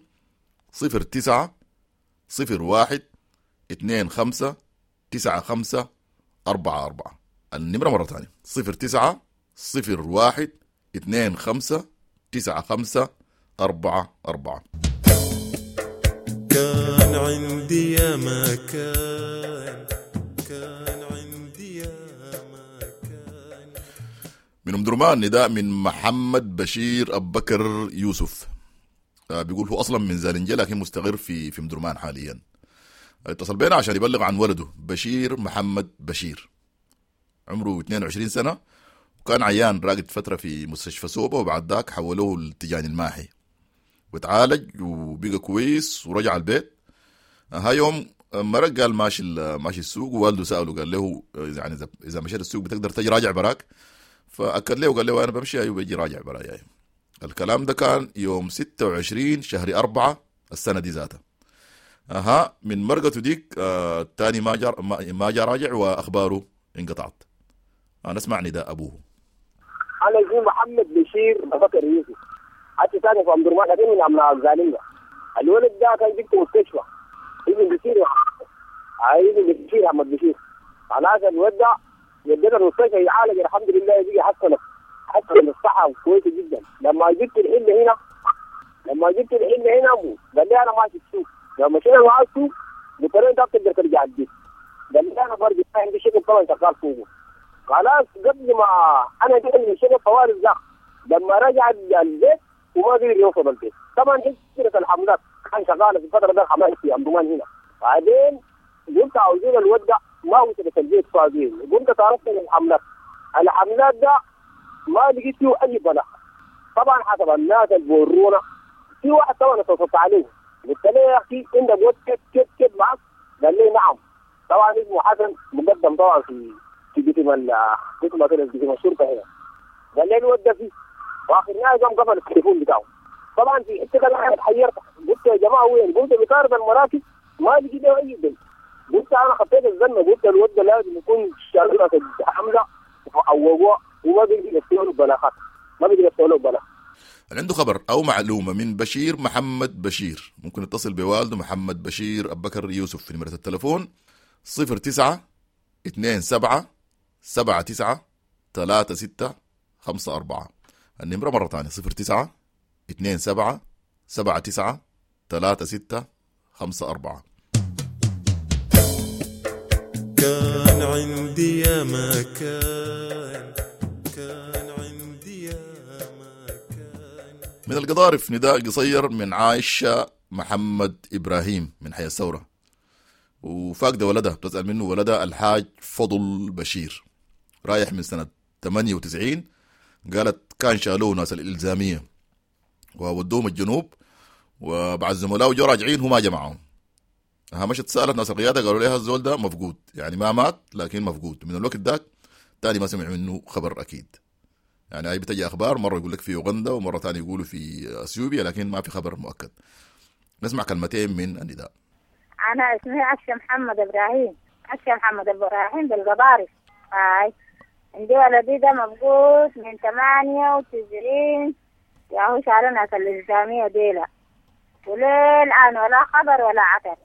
09 01 25 95 44. النمرة مرة ثانية 09 01 25 95 44. كان عندي يا ما كان، كان عندي يا ما كان. من أم درمان نداء من محمد بشير أبو بكر يوسف. بيقول هو أصلا من زالنجة لكن مستقر في أم درمان حاليا. اتصل بينا عشان يبلغ عن ولده بشير محمد بشير، عمره 22 سنة، وكان عيان راقد فترة في مستشفى سوبا، وبعد ذاك حولوه للتجاني الماحي وتعالج وبقى كويس ورجع البيت. ها يوم مرق قال ماشي السوق، ووالده سأله قال له يعني إذا مشيت السوق بتقدر تجي راجع براك؟ فأكد له وقال له أنا بمشي أيوه بيجي راجع براي. يعني الكلام ده كان يوم 26 شهر 4 السنة دي ذاتها. أها من مرقته ديك تاني ما جا راجع وأخباره انقطعت. أنا اسمع نداء أبوه. أنا اسمي محمد بشير أبو بكر يوسف، حتى ساكن في أم درمان لكن من أبناء الزالنجة. الولد ده كان جبته مستشفى ابن بشير، ابن بشير محمد بشير. خلاص الولد ده وديته المستشفى يعالج الحمد لله، بقي حسن الصحة كويسة جدا. لما جبت الحلة هنا أبوه قال لي أنا ماشي السوق. لما مشينا معاه السوق قلت له أنت بتقدر ترجع البيت؟ قال لي أنا برجع، عندي شغل طبعا شغال فوقه. خلاص قبل ما انا جيت من الشغل طوال الزخ، لما رجع البيت وما قدر يوصل البيت. طبعا حجره الحملات كان شغالة في الفترة ده الحملات في امدرمان هنا. بعدين قلت عاوزين الود ده ما وصلت البيت فاضيين، قمت تعرفت الحملات. الحملات ده ما لقيت فيه اي بلاغ. طبعا حسب الناس اللي بورونا في واحد طبعا اتصلت عليه قلت له يا اخي عندك ود كيف كيف كيف معك؟ قال لي نعم. طبعا اسمه حسن مقدم طبعا في قسم قسم الشرطة هنا. قال لي الود ده فيه، واخر نهاية قام قفل التليفون بتاعه. طبعا في حتة انا اتحيرت، قلت يا جماعة وين؟ قلت بطارد المراكز ما لقيت له اي دليل. قلت انا خطيت الزنه، قلت الود ده لازم يكون شغله حمله وعوضوه وما بيقدر يفتحوا له بلاغات، ما بيقدر يفتحوا له بلاغ. اللي عنده خبر او معلومة من بشير محمد بشير ممكن يتصل بوالده محمد بشير ابو بكر يوسف في نمره التليفون 09 27 79 36 54. النمرة مرة ثانية 09 27 79 36 54. كان عندي يا ما كان، كان عندي يا ما كان. من القضارف نداء قصير من عائشة محمد إبراهيم من حي الثورة، وفاقدة ولدها، بتسأل منه ولدها الحاج فضل بشير، رايح من سنة 98. قالت كان شالوه ناس الإلزامية وودوهم الجنوب، وبعد زملائه جو راجعين هو ما جمعهم. مشت سألت ناس القيادة قالوا لها الزول ده مفقود، يعني ما مات لكن مفقود. من الوقت ذاك تاني ما سمع منه خبر أكيد. يعني هاي بتجي أخبار مرة يقول لك في أوغندا ومرة تاني يقولوا في أثيوبيا، لكن ما في خبر مؤكد. نسمع كلمتين من النداء. أنا اسمي عشة محمد إبراهيم، عشة محمد إبراهيم بالقضارف. هاي عندي ولدي ده مفقود من 98، ياهو شالوا ناس الإلزامية ديلا، وللآن ولا خبر ولا عثر.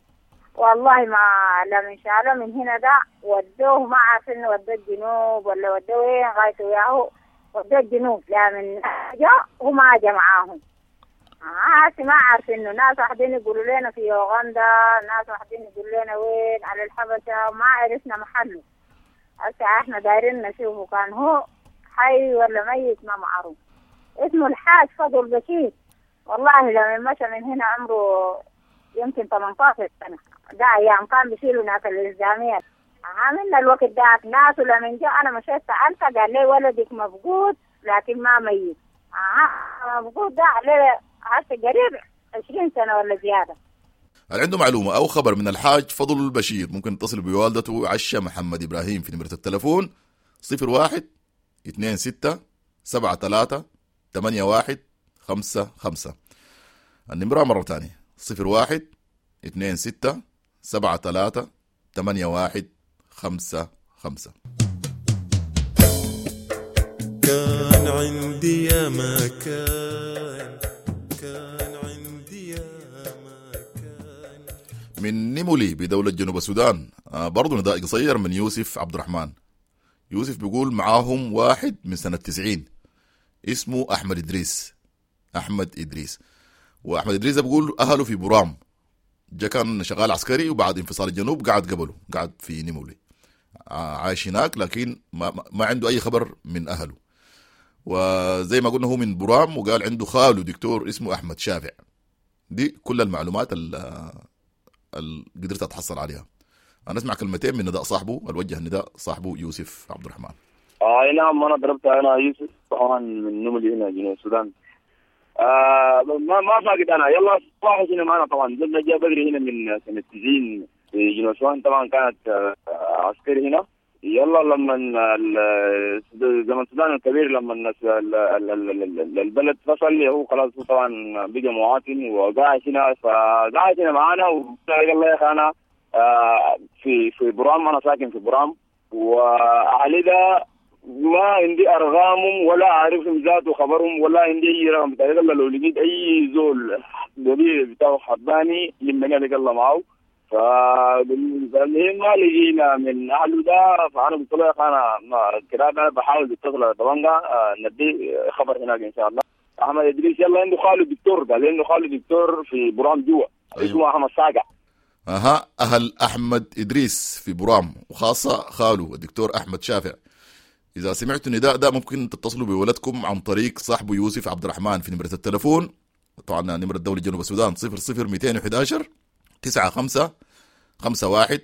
والله ما لمن شالوا من هنا ده ودوه، ما عارفين ودوه الجنوب ولا ودوه وين، غايته ياهو ودوه الجنوب. لا من جا وما جا معاهم. ما عارفين انه ناس واحدين يقولوا لنا في أوغندا، ناس واحدين يقولوا لنا وين على الحبشة، ما عرفنا محله. هسه احنا دايرين نشوفه كان هو حي ولا ميت ما معروف. اسمه الحاج فضل بشير. والله لما مشى من هنا عمره يمكن 18 سنة، ده أيام كان بيشيلوا ناس الإلزامية. عاملنا الوقت ده ناس، ولما جاء أنا مشيت سألته قال لي ولدك مفقود لكن ما ميت. مفقود ده عليه هسه قريب 20 سنة ولا زيادة. اللي عنده معلومة أو خبر من الحاج فضل البشير ممكن يتصل بوالدته عشة محمد إبراهيم في نمرة التلفون 01 26 73 81 55. النمرة مرة ثانية 01 26 73 81 55. كان عندي يا ما كان، كان عندي يا ما كان. من نيمولي بدولة جنوب السودان برضو نداء قصير من يوسف عبد الرحمن. يوسف بيقول معاهم واحد من سنة 90 اسمه أحمد إدريس. أحمد إدريس، وأحمد إدريس بيقول أهله في برام، جا كان شغال عسكري وبعد انفصال الجنوب قعد قبله، قعد في نيمولي عايش هناك، لكن ما عنده أي خبر من أهله. وزي ما قلنا هو من برام، وقال عنده خاله دكتور اسمه أحمد شافع. دي كل المعلومات اللي قدرت أتحصل عليها. أنا أسمع كلمتين من نداء صاحبه، الوجه النداء صاحبه يوسف عبد الرحمن. نعم، أنا ضربت، أنا يوسف طبعا من نيمولي هنا جنوب السودان. ما فاقد أنا، يلا واحد هنا معنا طبعا، زلنا جاء بدري هنا من سنة 90 في جنوب السودان، طبعا كانت عسكري هنا. يلا لما زمن السودان الكبير لما البلد فصل، هو خلاص هو طبعا بقى مواطن وقاعد هنا، فقاعد هنا معانا. ويلا يا اخي انا في برام، انا ساكن في برام، واهلي ده ما عندي ارقامهم ولا اعرفهم ذاته خبرهم ولا عندي اي رقم بتاعي. يلا لو لقيت اي زول دليل بتاعه حباني لما انا الله معه. فالمهم ما لقينا من اهله ده، فانا قلت له يا اخي انا كده انا بحاول اتصل على طبنجة ندي خبر هناك ان شاء الله. احمد ادريس يلا عنده خاله دكتور، قال عنده خاله دكتور في برام جوا. أيوه. اسمه احمد ساقع. اها، اهل احمد ادريس في برام وخاصة خاله الدكتور احمد شافع إذا سمعتوا النداء ده ممكن تتصلوا بولدكم عن طريق صاحبه يوسف عبد الرحمن في نمرة التلفون، طبعا نمرة دولة جنوب السودان 00211 95 51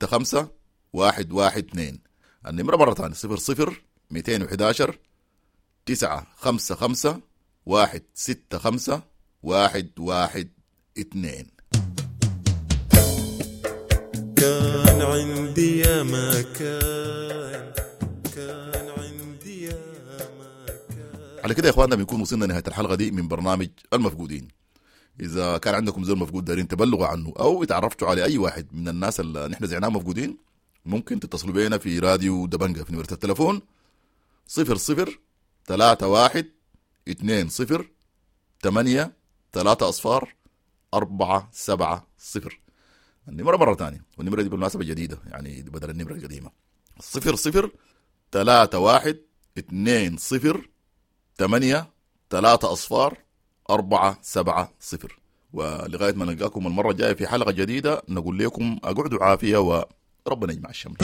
65 112. النمرة مرة ثانية 00211 955 165 112. كان عندي يا ما كان، كان عندي يا ما كان. على كده يا اخواننا بنكون وصلنا نهاية الحلقة دي من برنامج المفقودين. اذا كان عندكم زول مفقود دارين تبلغوا عنه او اتعرفتوا على اي واحد من الناس اللي نحن زعناهم مفقودين، ممكن تتصلوا بينا في راديو دبنجة في نمرة التلفون 00 31 20 8 3 أصفار 4 7 0. النمرة مرة تانية، والنمرة دي بالمناسبة جديدة يعني بدل النمرة القديمة، 00 31 20 8 3 أصفار 4 7 0. ولغاية ما نلقاكم المرة الجاية في حلقة جديدة نقول لكم أقعدوا عافية وربنا يجمع الشمل.